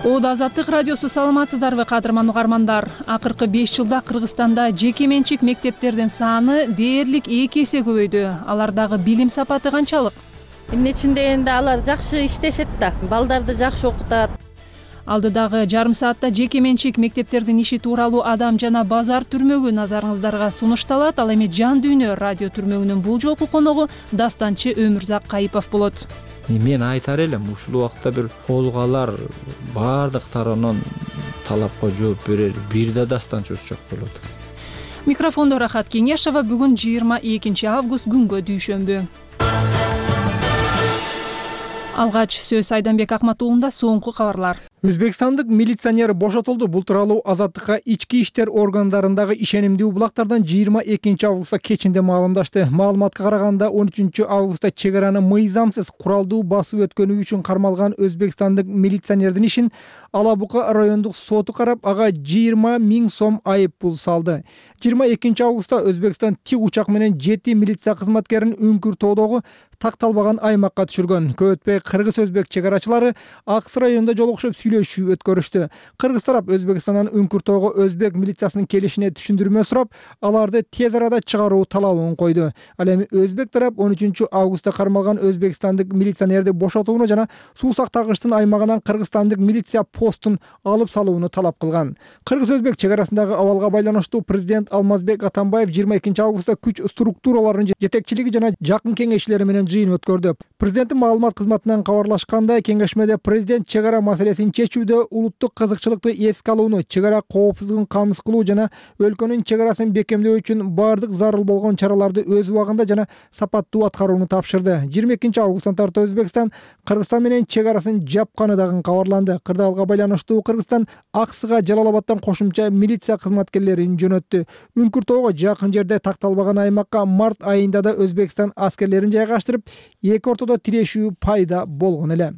Ода Азаттык радиосу, саламатсыздарбы кадырман угармандар? Акыркы 5 жылда Кыргызстанда жеке менчик мектептердин саны дээрлик 2 эсе көбөйдү. Алардагы билим сапаты канчалык? Эмне үчүн дегенде алар жакшы иштешет да, балдарды жакшы окутат. Алдыдагы жарым саатта жеке менчик мектептердин иши тууралуу Адам жана базар түрмөгү назарыңыздарга сунушталат. Ал эми Жан дүйнө радио түрмөгүнүн бул жолку коногу дастанчы Өмүрзак Кайыпов болот. Мен айтар элем, ушул убакта бир колго алар баардык тараптан талапка жооп берер бир да дастанчыбыз жок болот. Микрофондо Рахат Кеңешова. Бүгүн 22 август, күнгө дүйшөмбү. Алгач сөз Айданбек Акматуулунда. Соңку кабарлар. Өзбекстандык милиционер бошотулду. Бул тууралуу Азаттыкка ички иштер органдарындагы ишенимдүү булактардан 22 августта кечинде маалымдашты. Маалыматка караганда 13 августта чек араны мыйзамсыз куралдуу басып өткөнү үчүн кармалган өзбекстандык милиционердин ишин Ала Бука райондук соту карап, ага 20 000 сом айып пул салды. 22 августта Өзбекстан тик учак менен 7 милиция кызматкерин Үңкүр-Тоодогу такталбаган аймакка түшүргөн. Көп өтпөй кыргыз-өзбек чек арачылары Аксы районунда жолугушуп сүйлөшүү өткөрүштү. Кыргыз тарап Өзбекстандан Үңкүр-Тоого өзбек милициясынын келишине түшүндүрмө сурап, аларды тез арада чыгаруу талабын койду. Ал эми өзбек тарап 13 августта кармалган өзбекстандык милиционерди бошотууну жана суу сактагычтын аймагынан кыргызстандык милиция постун алып салууну талап кылган. Кыргыз-өзбек чек арасындагы абалга байланыштуу президент Алмазбек Атамбаев 22 августта күч структураларынын жетекчилиги жана жакын кеңешчилери менен жыйын өткөрдү. Президенттин маалымат кызматынан кабарлашкандай, кеңешмеде президент чек ара маселесин чечүүдө улуттук кызыкчылыкты эске алууну, чек ара коопсуздугун камсыз кылуу жана өлкөнүн чек арасын бекемдөө үчүн баардык зарыл болгон чараларды өз убагында жана сапаттуу аткарууну тапшырды. 22 августтан тарта Өзбекстан Кыргызстан менен чек арасын жапканы дагы кабарланды. Кырдаалга байланыштуу Кыргызстан Аксыга Жалалабадтан кошумча милиция кызматкерлерин жөнөттү. Үңкүр-Тоого жакын жерде такталбаган аймакка март айында да Өзбекстан аскерлерин жайгаштырып, эки ортодо тирешүү пайда болгон эле.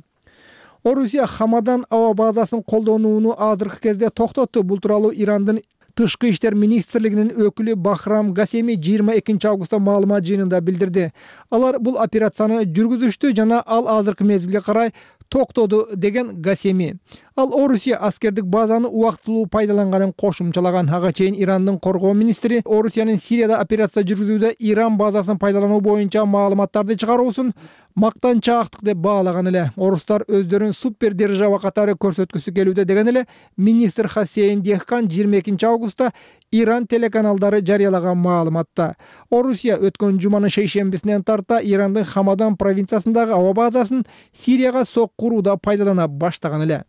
Орусия Хамадан аба базасын колдонууну азыркы кезде токтотту. Бул тууралуу Ирандын Тышкы иштер министрлигинин өкүлү Бахрам Гасеми 22 августта маалымат жыйынында билдирди. Алар бул операцияны жүргүзүштү жана ал азыркы мезгилге карай токтоду деген Гасеми. Ал Орусия аскердик базаны убактылуу пайдаланганын кошумчалаган. Ага чейин Ирандын коргоо министри Орусиянын Сирияда операция жүргүзүүдө Иран базасын пайдалануу боюнча маалыматтарды чыгаруусун мактанчаактык деп баалаган эле. Орустар өздөрүн супер держава катары көрсөткүсү келүүдө деген эле министр Хасейн Дехкан 22 августта Иран телеканалдары жарыялаган маалыматта. Орусия өткөн жуманын шейшембисинен тарта Ирандын Хамадан провинциясындагы аба базасын Сирияга сок курууда пайдалана баштаган эле.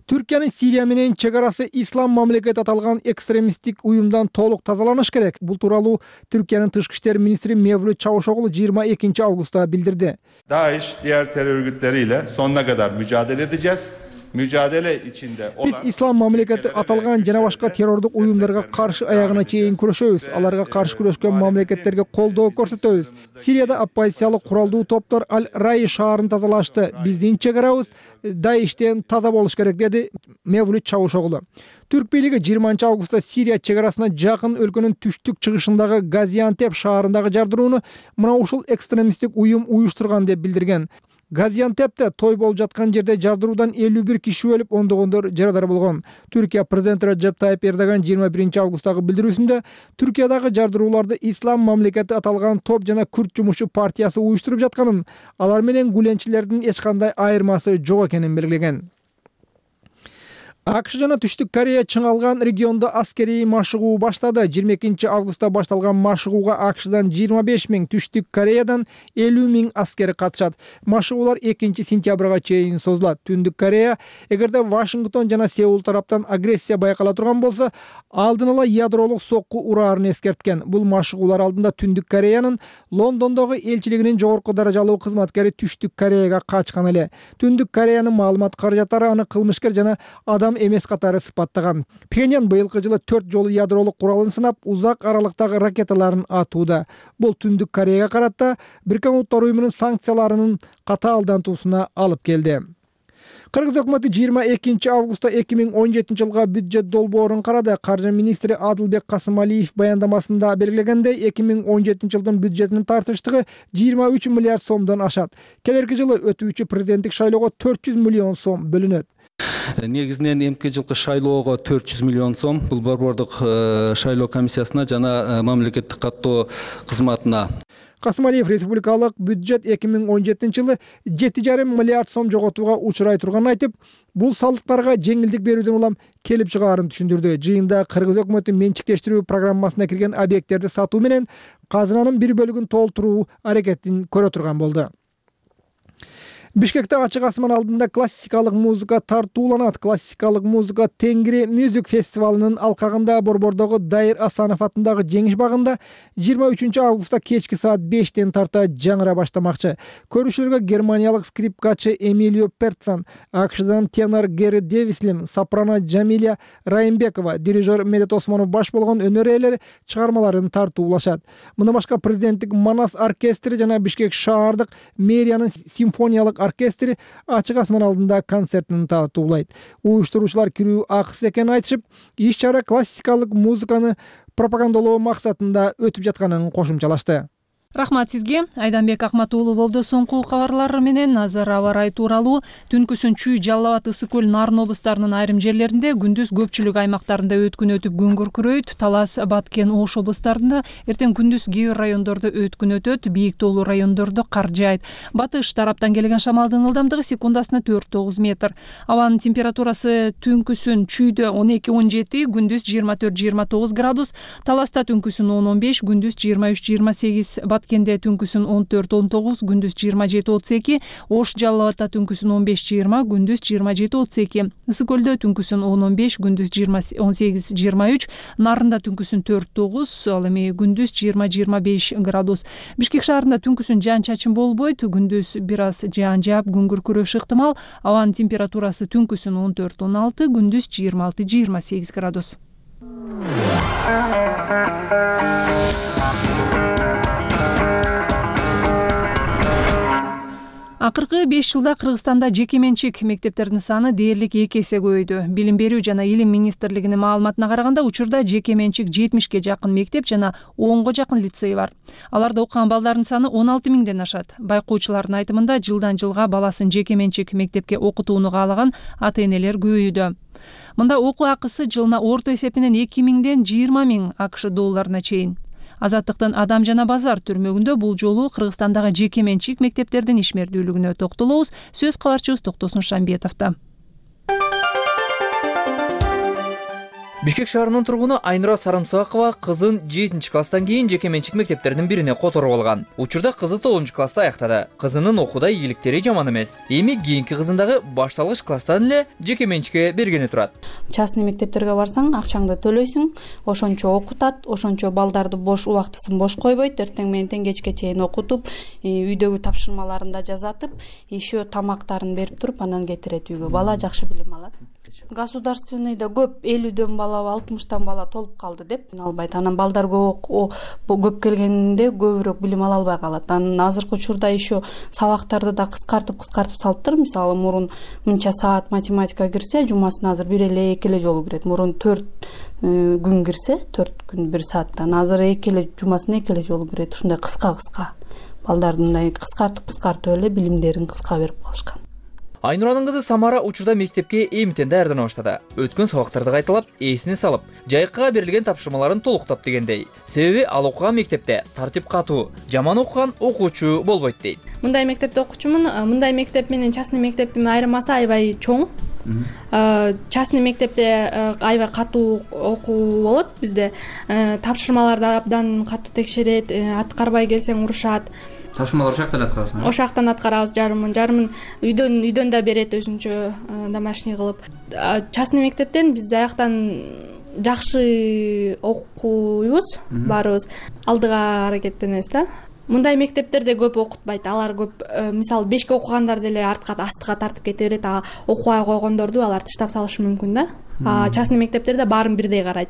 Түркиянын Сирия менен чек арасы ислам мамлекет аталган экстремисттик уюмдан толук тазаланыш керек. Бул тууралуу Түркиянын тышкы иштер министри Мевлют Чавушоглу 22 августта билдирди. DAEŞ diğer terör örgütleriyle sonuna kadar mücadele edeceğiz. Mücadele içinde olan... Биз ислам мамлекети аталган жана башка террордук уюмдарга каршы аягына чейин күрөшөбүз. Аларга каршы күрөшкөн мамлекеттерге колдоо көрсөтөбүз. Сирияда оппозициялык куралдуу топтор Аль-Рай шаарын тазалашты. Биздин чек арабыз Даиштен таза болуш керек, деди Мевлют Чавушоглу. Түрк бийлиги 20 августта Сирия чек арасына жакын өлкөнүн түштүк чыгышындагы Газиантеп шаарындагы жардырууну мына ушул экстремисттик уюм уюштурган деп билдирген. Газиантепте той болуп жаткан жерде жардыруудан 51 киши өлүп, ондогондор жарадар болгон. Түркия президенти Реджеп Тайип Эрдоган 21 августтагы билдирүүсүндө Түркиядагы жардырууларды ислам мамлекети аталган топ жана Күрд жумушчу партиясы уюштуруп жатканын, алар менен гүленчилердин эч кандай айырмасы жок экенин белгилеген. АКШ жана Түштүк Корея чыңалган региондо аскерий машыгуу баштады. 22 августта башталган машыгууга АКШдан 25 000, Түштүк Кореядан 50 000 аскер катышат. Машыгуулар 2 сентябрга чейин созулат. Түндүк Корея эгерде Вашингтон жана Сеул тараптан агрессия байкала турган болсо, алдын ала ядролук сокку ураарын эскерткен. Бул машыгуулар алдында Түндүк Кореянын Лондондогу элчилигинин жогорку даражалуу кызматкери Түштүк Кореяга качкан эле. Түндүк Кореянын маалымат каражаттары аны кылмышкер жана адам эмес катары сыпаттаган. Пхеньян быйылкы жылы 4 жолу ядролук куралын сынап, узак аралыктагы ракеталарын атууда. Бул Түндүк Кореяга карата Бириккен Улуттар Уюмунун санкцияларынын катаалдантуусуна алып келди. Кыргыз өкмөтү 22 августта 2017 жылга бюджет долбоорун карады. Каржы министри Адылбек Касымалиев баяндамасында белгилегендей, 2017 жылдын бюджетинин тартыштыгы 23 миллиард сомдон ашат. Келерки жылы өтүүчү президенттик шайлоого 400 миллион сом бөлүнөт. Негизинен эмки жылкы шайлоого 400 миллион сом бул борбордук шайлоо комиссиясына жана мамлекеттик каттоо кызматына. Касымалиев республикалык бюджет 2017 жылы 7,5 миллиард сом жоготууга учурай турганын айтып, бул салыктарга жеңилдик берүүдөн улам келип чыгаарын түшүндүрдү. Жыйында Кыргыз өкмөтү менчиктештирүү программасына кирген объекттерди сатуу менен казынанын бир бөлүгүн толтуруу аракетин көрө турган болду. Бишкекте ачык асман алдында классикалык музыка тартууланат. Классикалык музыка Тенгри Music фестивалынын алкагында борбордогу Дайыр Асанов атындагы Жеңиш багында 23 августта кечки саат 5-тен тарта жаңыра баштамакчы. Көрүүчүлөргө германиялык скрипкачы Эмилио Перцан, АКШдан тенор Гери Девислим, сопрано Джамиля Райымбекова, дирижер Медет Осмонов баш болгон өнөр ээлери чыгармаларын тартуулашат. Мындан башка президенттик Манас оркестри жана Бишкек шаардык мэриянын симфониялык оркестри ачык асман алдында концертин тартуулайт. Уюштуруучулар кирүү акысыз экенин айтышып, иш-чара классикалык музыканы пропагандалоо максатында өтүп жатканын кошумчалашты. Рахмат сизге. Айданбек Акмат уулу болду. Соңку кабарлар менен азыр аба ырайы тууралуу. Түнкүсүн Чүй, Жалал Абад, Ысык көл, Нарын облустарынын айрым жерлеринде, күндүз көпчүлүк аймактарында өткүн өтүп күн күркүрөйт. Талас, Баткен, Ош облустарында эртең күндүз кээ бир райондордо өткүн өтөт, бийик тоолуу райондордо кар жаайт. Батыш тараптан келген шамалдын ылдамдыгы секундасына 4-9 метр. Абанын температурасы түнкүсүн Чүйдө 12-17, күндүз 24-29 градус, Таласта түнкүсүн 10-15, күндүз 23-28, Баткенде түнкүсүн 14-19, күндүз 27-32, Ош, Жалал Абадта түнкүсүн 15-20, күндүз 27-32, Ысык көлдө түнкүсүн 10-15, күндүз 18-23, Нарында түнкүсүн 4-9, ал эми күндүз 20-25 градус. Бишкек шаарында түнкүсүн жаан чачын болбойт, күндүз бир аз жаан жаап күн күркүрөшү ыктымал. Абанын температурасы түнкүсүн 14-16, күндүз 26-28 градус. Акыркы 5 жылда Кыргызстанда жеке менчик мектептердин саны дээрлик 2 эсе көбөйдү. Билим берүү жана илим министрлигинин маалыматына караганда, учурда жеке менчик 70ге жакын мектеп жана 10го жакын лицей бар. Аларда окуган балдардын саны 16 000ден ашат. Байкоочулардын айтымында, жылдан жылга баласын жеке менчик мектепке окутууну каалаган ата-энелер көбөйдү. Мында окуу акысы жылына орто эсепинен 2000ден 20 000 АКШ долларына чейин. Азаттыктын Адам жана базар түрмөгүндө бул жолу Кыргызстандагы жеке менчик мектептердин ишмердүүлүгүнө токтолобуз. Сөз кабарчыбыз Токтосун Шамбетовдо. Бишкек шаарынын тургуну Айнура Сарымсакова кызын 7-класстан кийин жеке менчик мектептердин бирине которуп алган. Учурда кызы 9-класста аяктады. Кызынын окууда ийгиликтери жаман эмес. Эми кийинки кызын дагы башталгыч класстан эле жеке менчикке бергени турат. Частный мектептерге барсаң, акчаңды төлөйсүң, ошончо окутат, ошончо балдарды бош убактысын бош койбойт, эртең менен кечке чейин окутуп, үйдөгү тапшырмаларын да жазатып, еще тамактарын берип туруп, анан кетирет үйгө. Бала жакшы билим алат. Государственныйда көп 50дөн бала, 60тан бала толуп калды деп албайт. Анан балдар көп келгенде көбүрөөк билим ала албай калат. Анан азыркы учурда еще сабактарды да кыскартып салыптыр. Мисалы мурун мынча саат математика кирсе, жумасына азыр 1 эле 2 эле жолу кирет. Мурун 4 күн кирсе, 4 күн 1 сааттан, азыр 2 эле жумасына 2 эле жолу кирет. Ушундай кыска балдардын кыскартып эле билимдерин кыска берип калышкан. Айнуранын кызы Самара учурда мектепке эмитен даярдана баштады. Өткөн сабактарды кайталап, эсине салып, жайыкка берилген тапшырмаларын толуктап дегендей. Себеби ал окуган мектепте тартип катуу, жаман окуган окуучу болбойт дейт. Мындай мектепте окучумун, мындай мектеп менен частный мектептин айырмасы аябай чоң. Частный мектепте аябай катуу окуу болот бизде. Тапшырмаларды абдан катуу текшерет, аткарбай келсең урушат. Тапшырмалар ошол жактан аткарасың? Ошол жактан аткарабыз, жарымын үйдөн да берет өзүнчө домашний кылып. Частный мектептен биз аяктан жакшы окуйбуз, баарыбыз алдыга аракеттенебиз да. Мындай мектептерде көп окутпайт. Алар көп, мисалы 5ке окугандар деле астыга тартып кете берет. Окубай койгондорду алар тыштап салышы мүмкүн да. Частный мектептерде баарын бирдей карайт.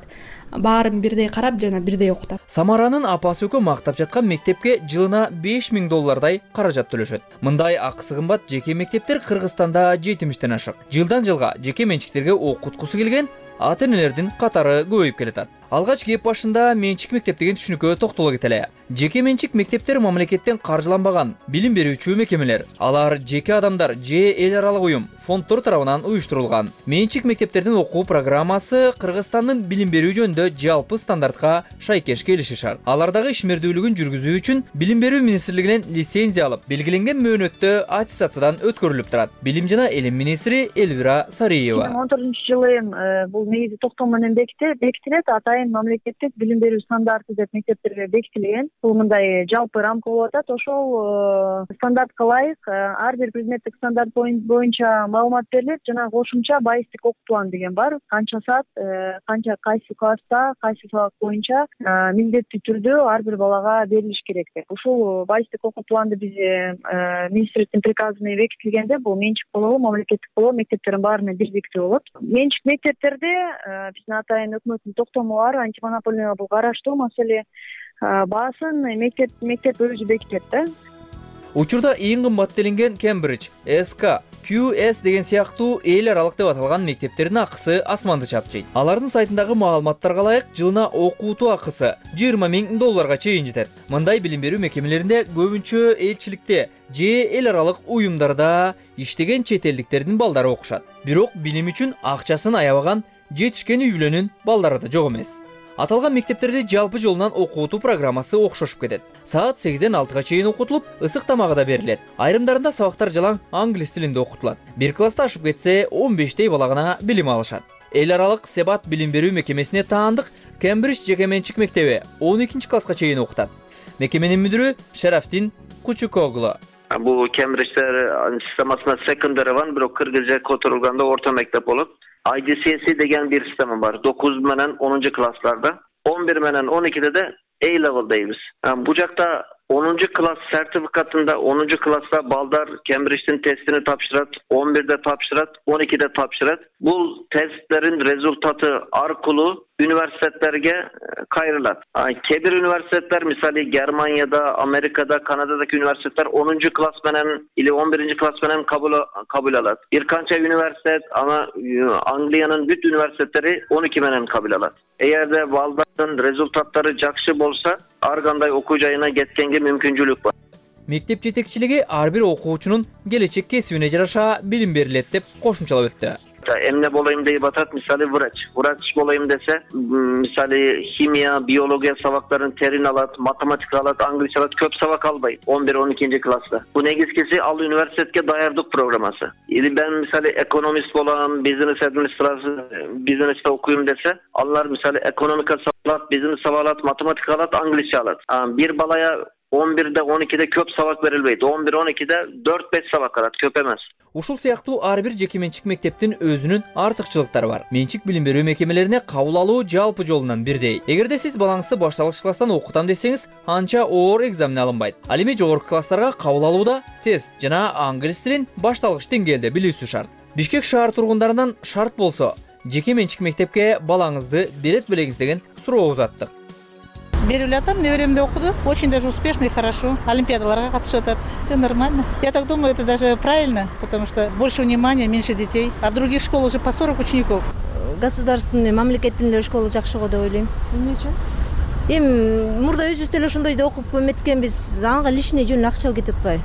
Баарын бирдей карап, жана бирдей окутат. Самаранын апасы экөө мактап жаткан мектепке жылына $5000 каражат төлөшөт. Мындай акысы кымбат жеке мектептер Кыргызстанда 70тен ашык. Жылдан жылга жеке менчиктерге окуткусу келген ата-энелердин катары көбөйүп келатат. Алгач кеп башында менчик мектеп деген түшүнүккө токтоло кетели. Жеке менчик мектептер мамлекеттен каржыланбаган билим берүүчү мекемелер. Алар жеке адамдар же эл аралык уюм, фонддор тарабынан уюштурулган. Менчик мектептердин окуу программасы Кыргызстандын билим берүү жөнүндө жалпы стандартка шайкеш келиши шарт. Алардагы ишмердүүлүгүн жүргүзүү үчүн билим берүү министрлигинен лицензия алып, белгиленген мөөнөттө аттестациядан өткөрүлүп турат. Билим жана илим министри Элвира Сариева. 2014-жылы бул негизи токтом менен бекитилет. Атайын мамлекеттик билим берүү стандарты деп мектептерге бекитилген. Бул мындай жалпы рамка болуп атат. Ошол стандартка ылайык ар бир предметтик стандарт боюнча маалымат берилет жана кошумча байыстык окуу планы деген бар. Канча саат, кайсы класста, кайсы сабак боюнча милдеттүү түрдө ар бир балага берилиш керек деп. Ушул байыстык окуу планды биз министрликтин приказы менен бекитилгенде бул менчик болобу, мамлекеттик болобу, мектептердин баарына бирдиктүү болот. Менчик мектептерде биздин атайын өкмөттүн токтому бар, антимонополия бул караштуу маселе. Баасын мектеп өзү бекитет да. Учурда эң кымбат делинген Кембридж, СК, QS деген сыяктуу эл аралык деп аталган мектептердин акысы асманды чапчыйт. Алардын сайтындагы маалыматтарга ылайык жылына окуутуу акысы $20,000 чейин жетет. Мындай билим берүү мекемелеринде көбүнчө элчиликте же эл аралык уюмдарда иштеген чет элдиктердин балдары окушат. Бирок билим үчүн акчасын аябаган жетишкен үй бүлөнүн балдары да жок эмес. Аталган мектептерде жалпы жолунан окуутуу программасы окшошуп кетет. Саат 8ден 6га чейин окутулуп, ысык тамагы да берилет. Айрымдарында сабактар жалаң англис тилинде окутулат. Бир класста ашып кетсе 15 бала гана билим алышат. Эл аралык Себат билим берүү мекемесине таандык Кембридж жеке менчик мектеби 12 класска чейин окутат. Мекеменин мүдүрү Шарафтин Кучукоглу. Бул Кембридждер системасына секондари бар, бирок кыргызча которулганда орто мектеп болот. IDCS деген bir sistemi var. 9 менен 10 классларда, 11 менен 12'de de A-level deymiz. Bu jakta 10. klas sertifikatında 10. klasta baldar Cambridge'in testini tapşırat, 11'de tapşırat, 12'de tapşırat. Bu testlerin rezultatı arkulu üniversitelerge kayrılat. Kebir üniversiteler misali Germanya'da, Amerika'da, Kanada'daki üniversiteler 10. klas menen ile 11. klas menen kabul alat. Bir kança üniversite ama Anglia'nın bütün üniversiteleri 12 menen kabul alat. Eğer de baldarın rezultatları jakşı bolsa, arganday okuyacağına getkenge mümküncülük var. Мектеп жетекчилиги ар бир окуучунун келечек кесибине жараша билим берилет деп кошумчалап өттү. Emne bolayım deyip atat misali vraç bolayım dese misali kimya, biyologiya sabakların terin alat, matematik alat, anglisçe alat köp sabak albayım 11-12. klasta. Bu negizkisi al üniversiteye dayardık programası. Ben misali ekonomist bolam, business administrasyon, business'te okuyayım dese allar misali ekonomika savat, business savat, matematik alat, anglisçe alat. Bir balaya 11'de 12'de köp sabak verilbeydi. 11-12'de 4-5 sabak alat, köp emez. Ушул сыяктуу ар бир жеке менчик мектептин өзүнүн артыкчылыктары бар. Менчик билим берүү мекемелерине кабыл алуу жалпы жолунан бирдей. Эгерде сиз балаңызды башталгыч класстан окутам десеңиз, анча оор экзамен алынбайт. Ал эми жогорку класстарга кабыл алууда тест жана англис тилин башталгыч деңгээлде билүүсү шарт. Бишкек шаар тургундарынан шарт болсо, жеке менчик мектепке балаңызды берет белеңиз деген суроо узаттык. Беріп жатам, неберемде окуду. Очень даже успешно и хорошо. Олимпиадаларга катышып атат. Все нормально. Я так думаю, это даже правильно, потому что больше внимания, меньше детей. А в других школах уже по 40 учеников. Государственный, мамлекеттин школа жакшы го деп ойлойм. Эмне үчүн? Эми мурда өзүбүз деле ошондой да окуп эметкенбиз. Ага лишний жөн акча кетип атпайбы?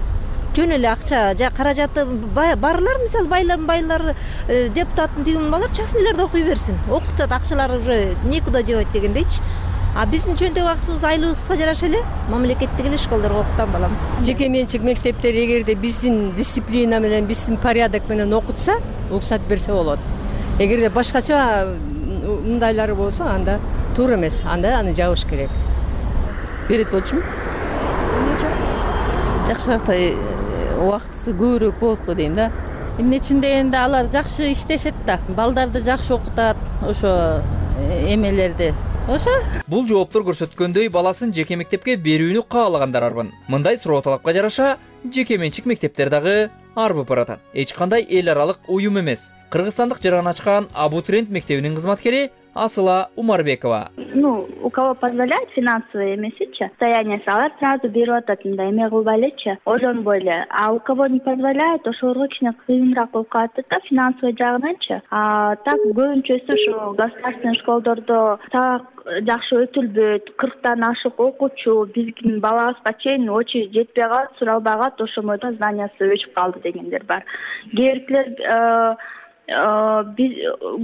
Жөн эле акча, каражаты барлар, мисалы байлар депутаттын тигин балар частныйларда окуй берсин. Окутат, акчалары уже некуда девать дегендейчи. А биздин чөнтөк акыбыз айлыгыбызга жараша эле мамлекеттик эле школдорго окутам балам. Жеке менчик мектептер эгерде биздин дисциплина менен, биздин порядок менен окутса, уруксат берсе болот. Эгерде башкача мындайлары болсо, анда туура эмес. Анда аны жабыш керек. Берет болчумун? Жакшыраак убактысы көбүрөөк болду дейм да. Эмне үчүн дегенде алар жакшы иштешет да. Балдарды жакшы окутат, ошо эмелерди. Ошо. Бул жооптор көрсөткөндөй баласын жеке мектепке берүүнү каалагандар арбын. Мындай суроо талапка жараша жеке менчик мектептер дагы арбып баратат. Эч кандай эл аралык уюм эмес. Кыргызстандык жаран ачкан абитуриент мектебинин кызматкери Асыла Умарбекова. У кого позволяет финансовые эмесичи, состояние алар сразу берип атат, мындай эме кылбай элечи, ойлонбой эле. А у кого не позволяет, ошолорго кичине кыйыныраак болуп калат да финансовый жагынанчы. Так көбүнчөсү ушу государственный школдордо сабак жакшы өтүлбөйт, 40тан ашык окуучу, биздин балабызга чейин очередь жетпей калат, суралбай калат, ошол бойдон знаниясы өчүп калды дегендер бар. Кээбиркилер биз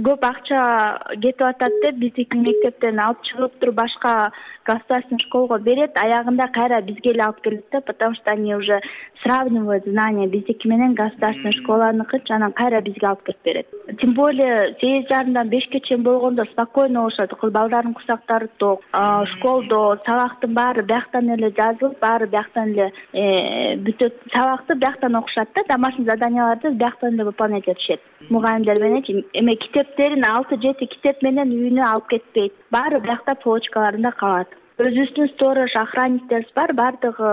көп акча кетип атат деп биздики мектептен алып чыгып туруп башка государственный школго берет, аягында кайра бизге эле алып келет да, потому что они уже сравнивают знания биздики менен государственный школаныкы, анан кайра бизге алып келип берет. Тем более 8:30-дан 5-ке чейин болгондо спокойно болушат, балдардын курсактары ток, школдо сабактын баары бияктан эле жазылып, баары бияктан эле бүтөт, сабакты бияктан окушат да, домашний заданияларды бияктан эле выполнять этишет. Мугалимдер менен эме китептерин 6-7 китеп менен үйүнө алып кетпейт. Баары биякта полочкаларында калат. Өзүбүздүн сторож, охранниктерибиз бар, баардыгы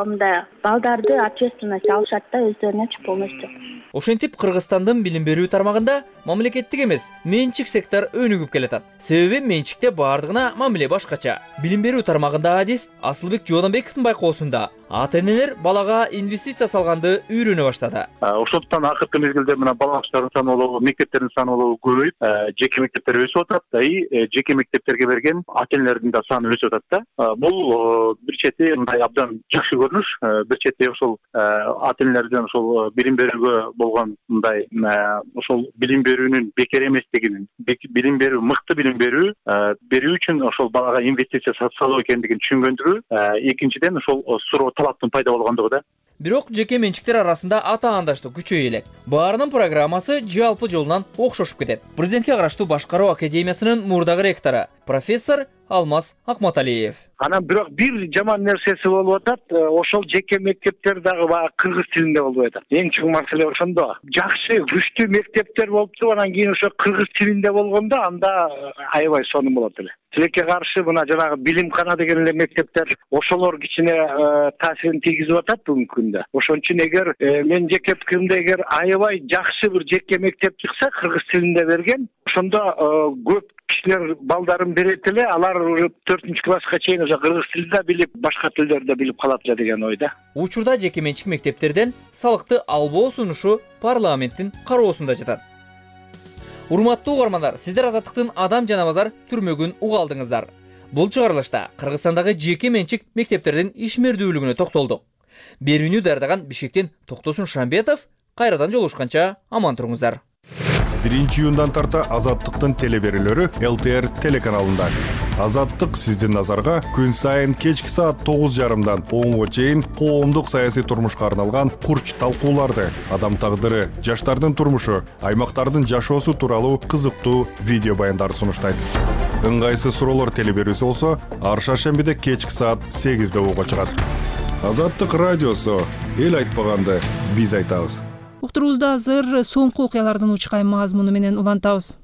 мындай балдарды ответственность алышат да өздөрүнө полностью. Ошентип Кыргызстандын билим берүү тармагында мамлекеттик эмес, менчик сектор өнүгүп келатат. Себеби менчикте баардыгына мамиле башкача. Билим берүү тармагында адис Асылбек Жодонбековдун байкоосунда ата-энелер балага инвестиция салганды үйрөнө баштады. Ошондуктан акыркы мезгилде мына балабачтардын саны болобу, мектептердин саны болобу көбөйүп, жеке мектептер өсүп атат да, жеке мектептерге берген ата-энелердин да саны өсүп атат да. Бул бир чети мындай абдан жакшы көрүнүш, бир чети ошол ата-энелердин ошол билим берүүгө болгон мындай ошол билим берүүнүн бекер эместигин, билим берүү, мыкты билим берүү үчүн ошол балага инвестиция салуу экендигин түшүнгөндүгү, экинчиден ошол суроо талаптын пайда болгондугу да. Бирок жеке менчиктер арасында ата-андаштык күчөйө элек. Баарынын программасы жалпы жолунан окшошуп кетет. Президентке караштуу Башкаруу академиясынын мурдагы ректору профессор Алмаз Акматалиев. Анан бирок бир жаман нерсеси болуп атат, ошол жеке мектептер дагы кыргыз тилинде болбой атат. Эң чоң маселе ошондо. Жакшы, күчтүү мектептер болуп туруп, анан кийин ошо кыргыз тилинде болгондо анда аябай сонун болот эле. Тилекке каршы мына жанагы билимкана деген эле мектептер ошолор кичине таасирин тийгизип атат бүгүнкү күндө. Ошон үчүн эгер мен жеке пикиримде эгер аябай жакшы бир жеке мектеп чыкса кыргыз тилинде берген, ошондо көп кишилер балдарын берет эле, алар 4-класска чейин уже кыргыз тилин да билип, башка тилдерди да билип калат эле деген ойда. Учурда жеке менчик мектептерден салыкты албоо сунушу парламенттин кароосунда жатат. Урматтуу угармандар, сиздер Азаттыктын Адам жана базар түрмөгүн уга алдыңыздар. Бул чыгарылышта Кыргызстандагы жеке менчик мектептердин ишмердүүлүгүнө токтолдук. Берүүнү даярдаган Бишкектен Токтосун Шамбетов, кайрадан жолугушканча аман туруңуздар. 1-июндан тарта Азаттыктын телеберүүлөрү ЛТР телеканалында. Азаттык сиздин назарга күн сайын кечки саат 9:30дан 10-го чейин коомдук саясий турмушка арналган курч талкууларды, адам тагдыры, жаштардын турмушу, аймактардын жашоосу тууралуу кызыктуу видео баяндарды сунуштайт. Ыңгайсыз суроолор телеберүүсү болсо, ар шаршембиде кечки саат 8-де угуга чыгат. Азаттык радиосу, эл айтпаганды биз айтабыз. Уктурубузда азыр соңку окуялардын учкай мазмуну менен улантабыз.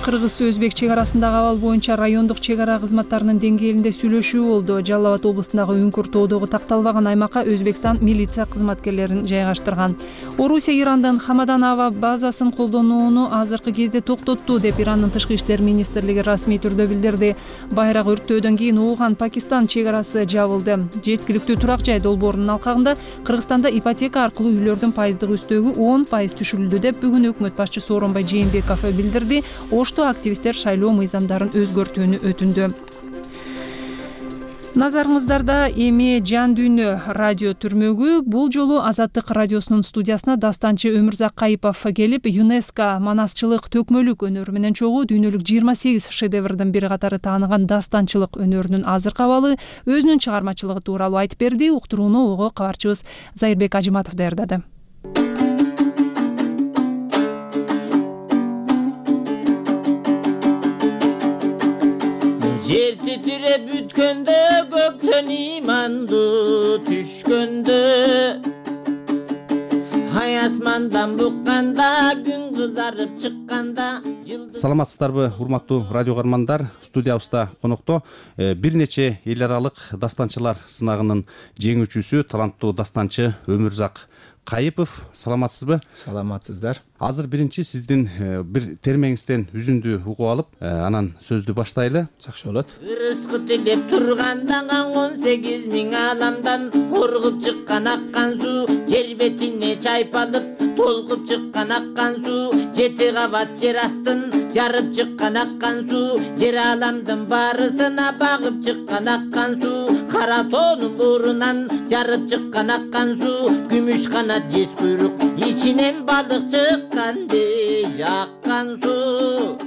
Кыргыз-Өзбек чек арасындагы абал боюнча райондук чек ара кызматтарынын деңгээлинде сүйлөшүү болду. Жалал Абад облусундагы Үңкүр тоодогу такталбаган аймакка Өзбекстан милиция кызматкерлерин жайгаштырган. Орусия Ирандын Хамадан аба базасын колдонууну азыркы кезде токтотту деп Ирандын тышкы иштер министрлиги расмий түрдө билдирди. Байрак өрттөөдөн кийин Ууган-Пакистан чек арасы жабылды. Жеткиликтүү турак жай долбоорунун алкагында Кыргызстанда ипотека аркылуу үйлөрдүн пайыздык үстөгү 10% түшүрүлдү деп бүгүн өкмөт башчысы Сооронбай Жээнбеков билдирди. Активисттер шайлоо мыйзамдарын өзгөртүүнү өтүндү. Назарыңыздарда эми Жан дүйнө радио түрмөгү. Бул жолу Азаттык радиосунун студиясына дастанчы Өмүрзак Кайыпов келип, ЮНЕСКО манасчылык төкмөлүк өнөрү менен чогуу дүйнөлүк 28 шедеврдин бири катары тааныган дастанчылык өнөрүнүн азыркы абалы, өзүнүн чыгармачылыгы тууралуу айтып берди. Уктурууну ого кабарчыбыз Зайырбек Ажиматов даярдады. Жер титиреп бүткөндө, көктөн иманды түшкөндө, ай асмандан букканда, күн кызарып чыкканда. Саламатсыздарбы, урматтуу радио каармандар? Студиябызда конокто бир нече эл аралык дастанчылар сынагынын жеңүүчүсү, таланттуу дастанчы Өмүрзак Кайыпов. Саламатсызбы? Саламатсыздар. Азыр биринчи сиздин бир термеңизден үзүндү угуп алып, анан сөздү баштайлы. Жакшы болот. Ырыскы тилеп турганда 18 миң аламдан ургуп чыккан аккан суу, жер бетине чайпалып толкуп чыккан аккан суу, 7 кабат жер астын жарып чыккан аккан суу, жер аламдын баарысына багып чыккан аккан суу, кара тоонун буурунан жарып чыккан аккан суу, күмүш канат жез куйрук ичинен балык чыккандай аккан суу.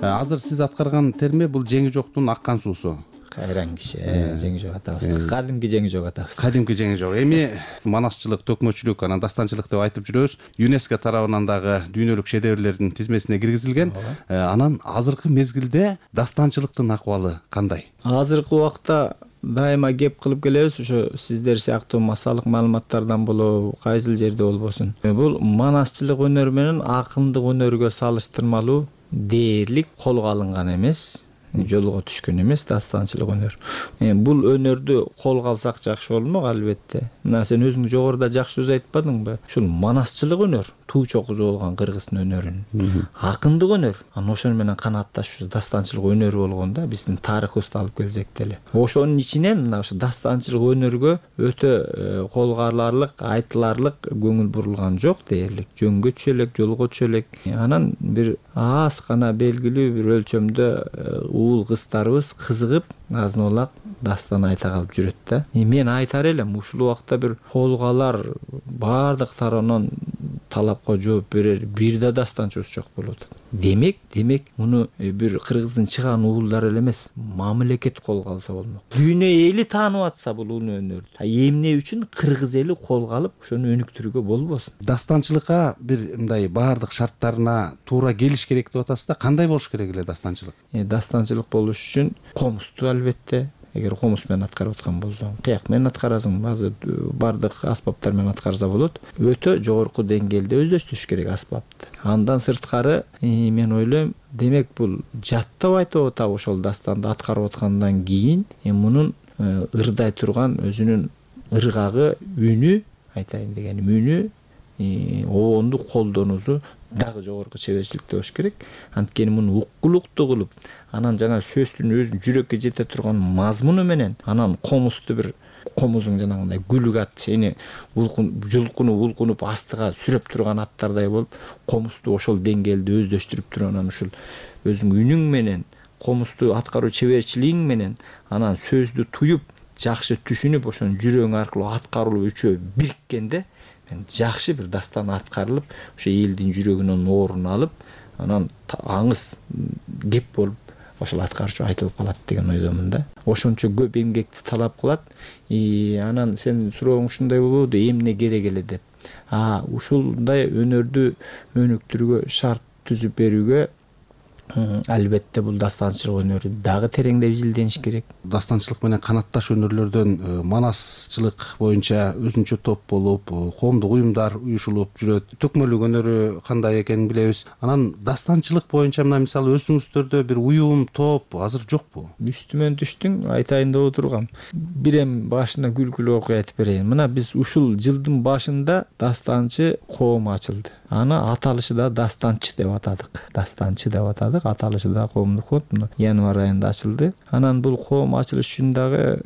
Азыр сиз аткарган терме бул жеңи жоктун аккан суусу. Кайран киши, жеңи жок атабыз. Кадимки жеңи жок атабыз. Кадимки жеңи жок. Эми манасчылык, төкмөчүлүк, анан дастанчылык деп айтып жүрөбүз. ЮНЕСКО тарабынан дагы дүйнөлүк шедеврлердин тизмесине киргизилген. Анан азыркы мезгилде дастанчылыктын акыбалы кандай? Азыркы убакта дайыма кеп кылып келебиз, ошо сиздер сыяктуу массалык маалыматтардан болобу, кайсыл жерде болбосун. Бул манасчылык өнөрү менен акындык өнөргө салыштырмалуу дээрлик колго алынган эмес, жолго түшкөн эмес дастанчылык өнөр. Бул өнөрдү колго алсак жакшы болмок, албетте. Мына сен өзүң жогоруда жакшы сөз айтпадыңбы? Ушул манасчылык өнөр, туу чокузу болгон кыргыздын өнөрүн. Акындык өнөр, анан ошону менен канаатташуу дастанчылык өнөрү болгондо биздин тарыхыбызды алып келсек деле. Ошонун ичинен мына ошо дастанчылык өнөргө өтө колго аларлык, айтыларлык көңүл бурулган жок дээрлик. Жөнгө түшө элек, жолго түшө элек. Анан бир аз гана белгилүү бир өлчөмдө уул кыздарыбыз кызыгып азын-олак дастан айта калып жүрөт да. Мен айтар элем, ушул убакта бир колго алар, баардык тараптан талапка жооп берер бир да дастанчыбыз жок болуп атат. Демек, муну бир кыргыздын чыган уулдары эле эмес, мамлекет колго алса болмок. Дүйнө эли таанып атса бул өнөрдү. Эмне үчүн кыргыз эли колго алып, ошону өнүктүрүүгө болбосун? Дастанчылыкка бир мындай баардык шарттарына туура келиш керек деп атасыз да. Кандай болуш керек эле дастанчылык? Дастанчылык болуш үчүн комузду албетте, эгер комуз менен аткарып аткан болсоң, кыяк менен аткарасың, баардык аспаптар менен аткарса болот. Өтө жогорку деңгээлде өздөштүрүш керек аспапты. Андан сырткары мен ойлойм, демек бул жаттап айтып атабы ошол дастанды аткарып аткандан кийин мунун ырдай турган өзүнүн ыргагы, үнү, айтайын дегеним үнү, оонду колдонуусу дагы жогорку чеберчиликте болуш керек. Анткени муну уккулуктуу кылып, анан жана сөздүн өзүн жүрөккө жете турган мазмуну менен, анан комузду бир комузуң жанагындай гүлүк ат сени жулкунуп улкунуп астыга сүрөп турган аттардай болуп, комузду ошол деңгээлде өздөштүрүп туруп, анан ушул өзүң үнүң менен, комузду аткаруу чеберчилигиң менен, анан сөздү туюп, жакшы түшүнүп, ошонун жүрөгүң аркылуу аткарылуу үчөө бириккенде жакшы бир дастан аткарылып, ошо элдин жүрөгүнөн орун алып, анан аңыз кеп болуп, ошол аткарчу айтылып калат деген ойдомун да. Ошончо көп эмгекти талап кылат. Анан сен сурооң ушундай болобу, эмне керек эле деп. Ушундай өнөрдү өнүктүрүүгө шарт түзүп берүүгө албетте бул дастанчылык өнөрү дагы тереңдеп изилдениш керек. Дастанчылык менен канатташ өнөрлөрдөн манасчылык боюнча өзүнчө топ болуп, коомдук уюмдар уюшулуп жүрөт. Төкмөлүк өнөрү кандай экенин билебиз. Анан дастанчылык боюнча мына мисалы өзүңүздөрдө бир уюм, топ азыр жокпу? Үстүмөн түштүң, айтайын деп отургам. Бир эми башына күлкүлүү окуя айтып берейин. Мына биз ушул жылдын башында дастанчы коом ачылды. Аны аталышы да дастанчы деп атадык. ачылдык. Аталышы да коомдук фонд январь айында ачылды. Анан бул коом ачылыш үчүн дагы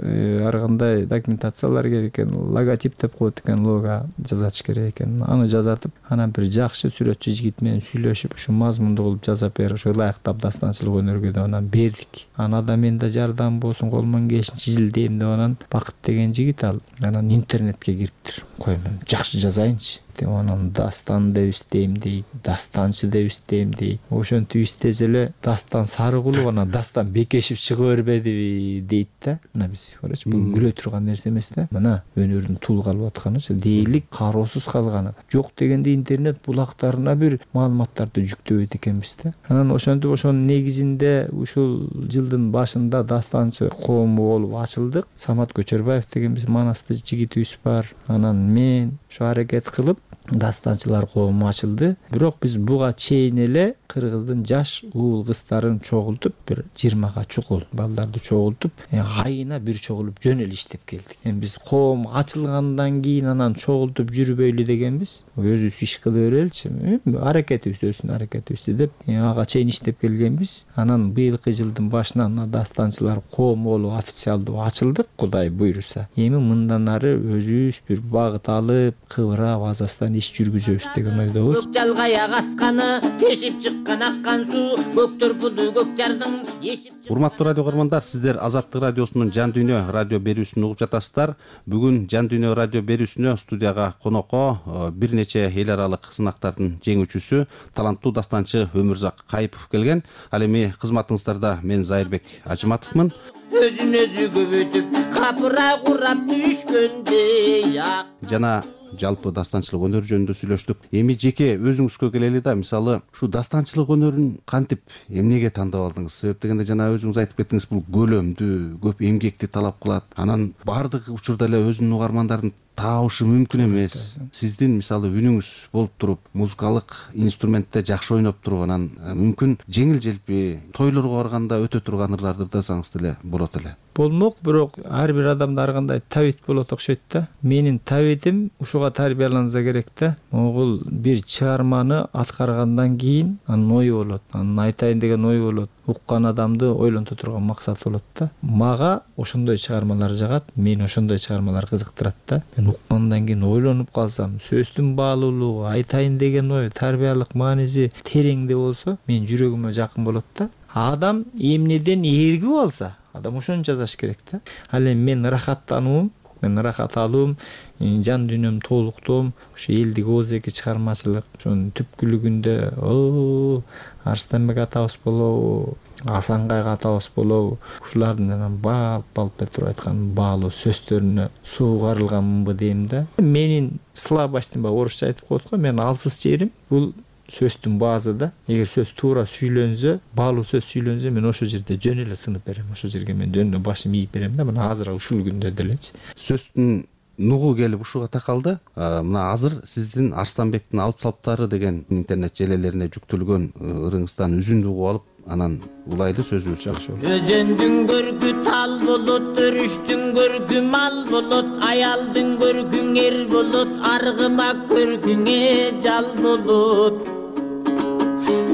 ар кандай документациялар керек экен. Логотип деп коет экен, лого жазатыш керек экен. Аны жазатып, анан бир жакшы сүрөтчү жигит менен сүйлөшүп, ушу мазмундуу кылып жазап берип, ушу ылайыктап дастанчылык өнөргө деп анан бердик. Аны да мен да жардам болсун, колуман келишинче изилдейм деп анан Бакыт деген жигит ал анан интернетке кириптир. Кой мен жакшы жазайынчы. Анан дастан деп издейм дейт, дастанчы деп издейм дейт. Ошентип издесе эле Дастан Сарыгулов анан Дастан Бекешев чыга бербедиби дейт да. Мына биз карачы, бул күлө турган нерсе эмес да. Мына өнөрдүн тул калып атканычы, дээрлик кароосуз калганы. Жок дегенде интернет булактарына бир маалыматтарды жүктөбөйт экенбиз да. Анан ошентип ошонун негизинде ушул жылдын башында дастанчы коому болуп ачылдык. Самат Көчөрбаев деген биз Манасты жигитибиз бар. Анан мен ушу аракет кылып дастанчылар коому ачылды. Бирок биз буга чейин эле Кыргыздын жаш уул кыздарын чогултуп, бир 20га чукул балдарды чогултуп, айына бир чогулуп жөн эле иштеп келдик. Эми биз коом ачылгандан кийин анан чогултуп жүрбөйлү дегенбиз. Өзүбүз иш кыла береличи, аракетибиз өссүн, аракетибизди деп ага чейин иштеп келгенбиз. Анан быйылкы жылдын башынан дастанчылар коому болуп официалдуу ачылдык, Кудай буйруса. Эми мындан ары өзүбүз бир багыт алып, кыбырап азастан иш жүргүзөбүз деген ойдобуз. Жалгая касканы, тешип чыккан аккан суу, көк төрпүдү көк жардын ешип. Урматтуу радио көрөрмандар, сиздер Азаттык радиосунун Жан Дүйнө радио берүүсүн угуп жатасыздар. Бүгүн Жан Дүйнө радио берүүсүнө студияга конокко бир нече эл аралык сынактардын жеңүүчүсү, таланттуу дастанчы Өмүрзак Кайыпов келген. Ал эми кызматыңыздарда мен Зайырбек Ажыматовмун. Өзүн өзү көбөйтүп, капыра курап түшкөндөй ак. Жана жалпы дастанчылык өнөр жөнүндө сүйлөштүк. Эми жеке өзүңүзгө келели да, мисалы, ушу дастанчылык өнөрүн кантип, эмнеге тандап алдыңыз? Себеп дегенде жана өзүңүз айтып кеттиңиз, бул көлөмдүү, көп эмгекти талап кылат. Анан бардык учурда эле өзүнүн угармандарын табышы мүмкүн эмес. Сиздин мисалы үнүңүз болуп туруп, музыкалык инструментте жакшы ойноп туруп, анан мүмкүн жеңил желпи тойлорго барганда өтө турган ырларды ырдасаңыз деле болот эле. Болмок, бирок ар бир адамда ар кандай табит болот окшойт да. Менин табитим ушуга тарбияланса керек да. Могул бир чыгарманы аткаргандан кийин анын ою болот, анын айтайын деген ою болот. Уккан адамды ойлонто турган максат болот да. Мага ошондой чыгармалар жагат, мени ошондой чыгармалар кызыктырат да. Мен уккандан кийин ойлонуп калсам, сөздүн баалуулугу, айтайын деген ой, тарбиялык мааниси тереңде болсо, менин жүрөгүмө жакын болот да. Адам эмнеден эргип алса, адам ошону жазаш керек да. Ал эми мен ырахаттануум, мен ырахат алуум, жан дүйнөм толуктоом, ушу элдик оозеки чыгармачылык, ошонун түпкүлүгүндө Арстанбек атабыз болобу, Асанкай атабыз болобу, ушулардын балп туруп айткан баалуу сөздөрүнө суугарылганмынбы дейм да. Менин слабостьтим, орусча айтып коет го, менин алсыз жерим бул сөздүн баазы да. Эгер сөз туура сүйлөнсө, баалуу сөз сүйлөнсө, мен ошол жерде жөн эле сынып берем. Ошол жерге мен жөн эле башым ийип берем да. Мына азыр ушул күндө делечи. Сөздүн нугу келип ушуга такалды. Мына азыр сиздин Арстанбектин алып салптары деген интернет желелерине жүктөлгөн ырыңыздан үзүндү угуп алып, анан улайды сөзүбүз жакшы болот. Өзөндүн көркү тал болот, өрүштүн көркү мал болот, аялдын көркүң эр болот, аргыма көркүңө жал болот.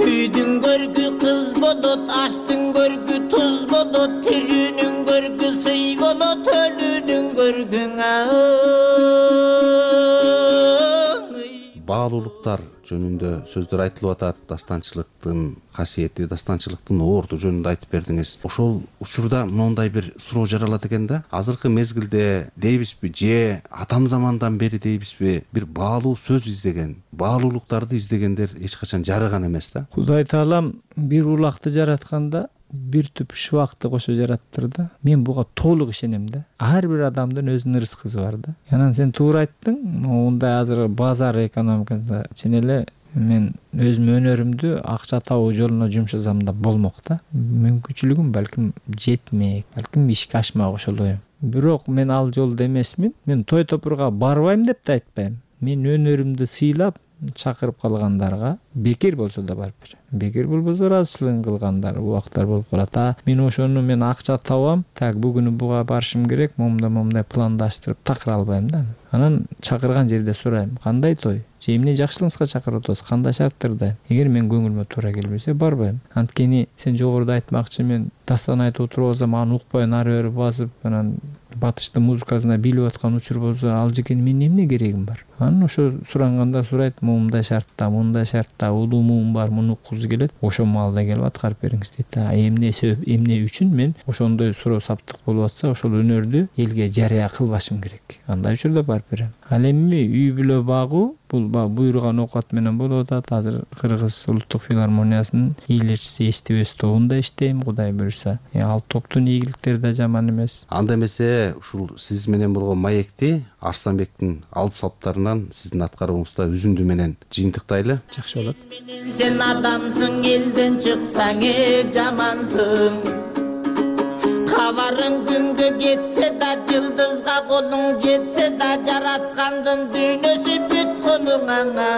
Үйдүн көркү кыз болот, аштын көркү туз болот, тирүүнүн көркү сый болот, өлүүнүн көркүң баалуулуктар жөнүндө сөздөр айтылып атат. Дастанчылыктын касиети, дастанчылыктын орду жөнүндө айтып бердиңиз. Ошол учурда моундай бир суроо жаралат экен да. Азыркы мезгилде дейбизби, же атам замандан бери дейбизби, бир баалуу сөз издеген, баалуулуктарды издегендер эч качан жарыган эмес да. Кудай таалам бир улакты жаратканда бир түп шыбакты кошо жараттыр да. Мен буга толук ишенем да. Ар бир адамдын өзүнүн рызкысы бар да. Анан сен туура айттың, мындай азыр базар экономикасында чын эле мен өзүм өнөрүмдү акча табуу жолуна жумшасам да болмок да. Мүмкүнчүлүгүм балким жетмек, балким ишке ашмак ошолой. Бирок мен ал жолдо эмесмин. Мен той топурга барбайм деп да айтпайм. Мен өнөрүмдү сыйлап, чакырып калгандарга бекер болсо да барып берем. Бекер болбосо ыраазычылыгын кылгандар убактар болуп калат. Мен ошону мен акча табам, так бүгүнү буга барышым керек, момундай пландаштырып такыра албайм да. Анан чакырган жерде сурайм, кандай той, же эмне жакшылыгыңызга чакырып атасыз, кандай шарттарда. Эгер мен көңүлүмө туура келбесе барбайм. Анткени сен жогоруда айтмакчы, мен дастан айтып отуруп алсам аны укпай нары бери басып, анан батыштын музыкасына билип аткан учур болсо, ал жекен мен эмне керегим бар? Анан ошо суранганда сурайт, момундай шартта улуумум бар, муну уккузу келет. Ошол маалда келип аткарып бериңиз дейт. Эмне себеп, эмне үчүн мен ошондой суроо саптык болуп атса, ошол өнөрдү элге жарыя кылбашым керек. Андай учурда барып берем. Ал эми үй бүлө багуу бул буйруган оокат менен болуп атат. Азыр Кыргыз улуттук филармониясынын ээлерчиси Эстебес тобунда иштейм, Кудай буйруса. Ал топтун ийгиликтери да жаман эмес. Анда эмесе ушул сиз менен болгон маекти Арсланбектин алып салыптарынан сиздин аткарууңузда үзүндү менен жыйынтыктайлы. Жакшы болот. Сен адамсың, элден чыксаң жамансың. Кабарың күнгө кетсе да, жылдызга колуң жетсе да, жараткандын дүйнөсү бүткөнүң аңа.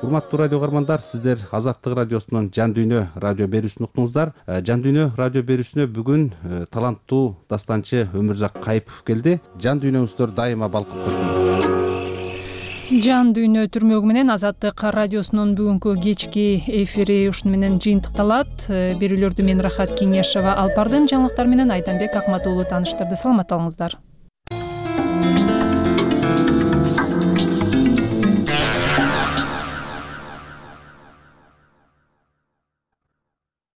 Урматтуу радио каармандар, сиздер Азаттык радиосунун Жан дүйнө радио берүүсүн уктуңуздар. Жан дүйнө радио берүүсүнө бүгүн таланттуу дастанчы Өмүрзак Кайыпов келди. Жан дүйнөңүздөр дайыма балкып турсун. Жан дүйнө түрмөгү менен Азаттык радиосунун бүгүнкү кечки эфири ушуну менен жыйынтыкталат. Берүүлөрдү мен Рахат Кеңешова алып бардым. Жаңылыктар менен Айданбек Акмат уулу тааныштырды. Саламат болуңуздар.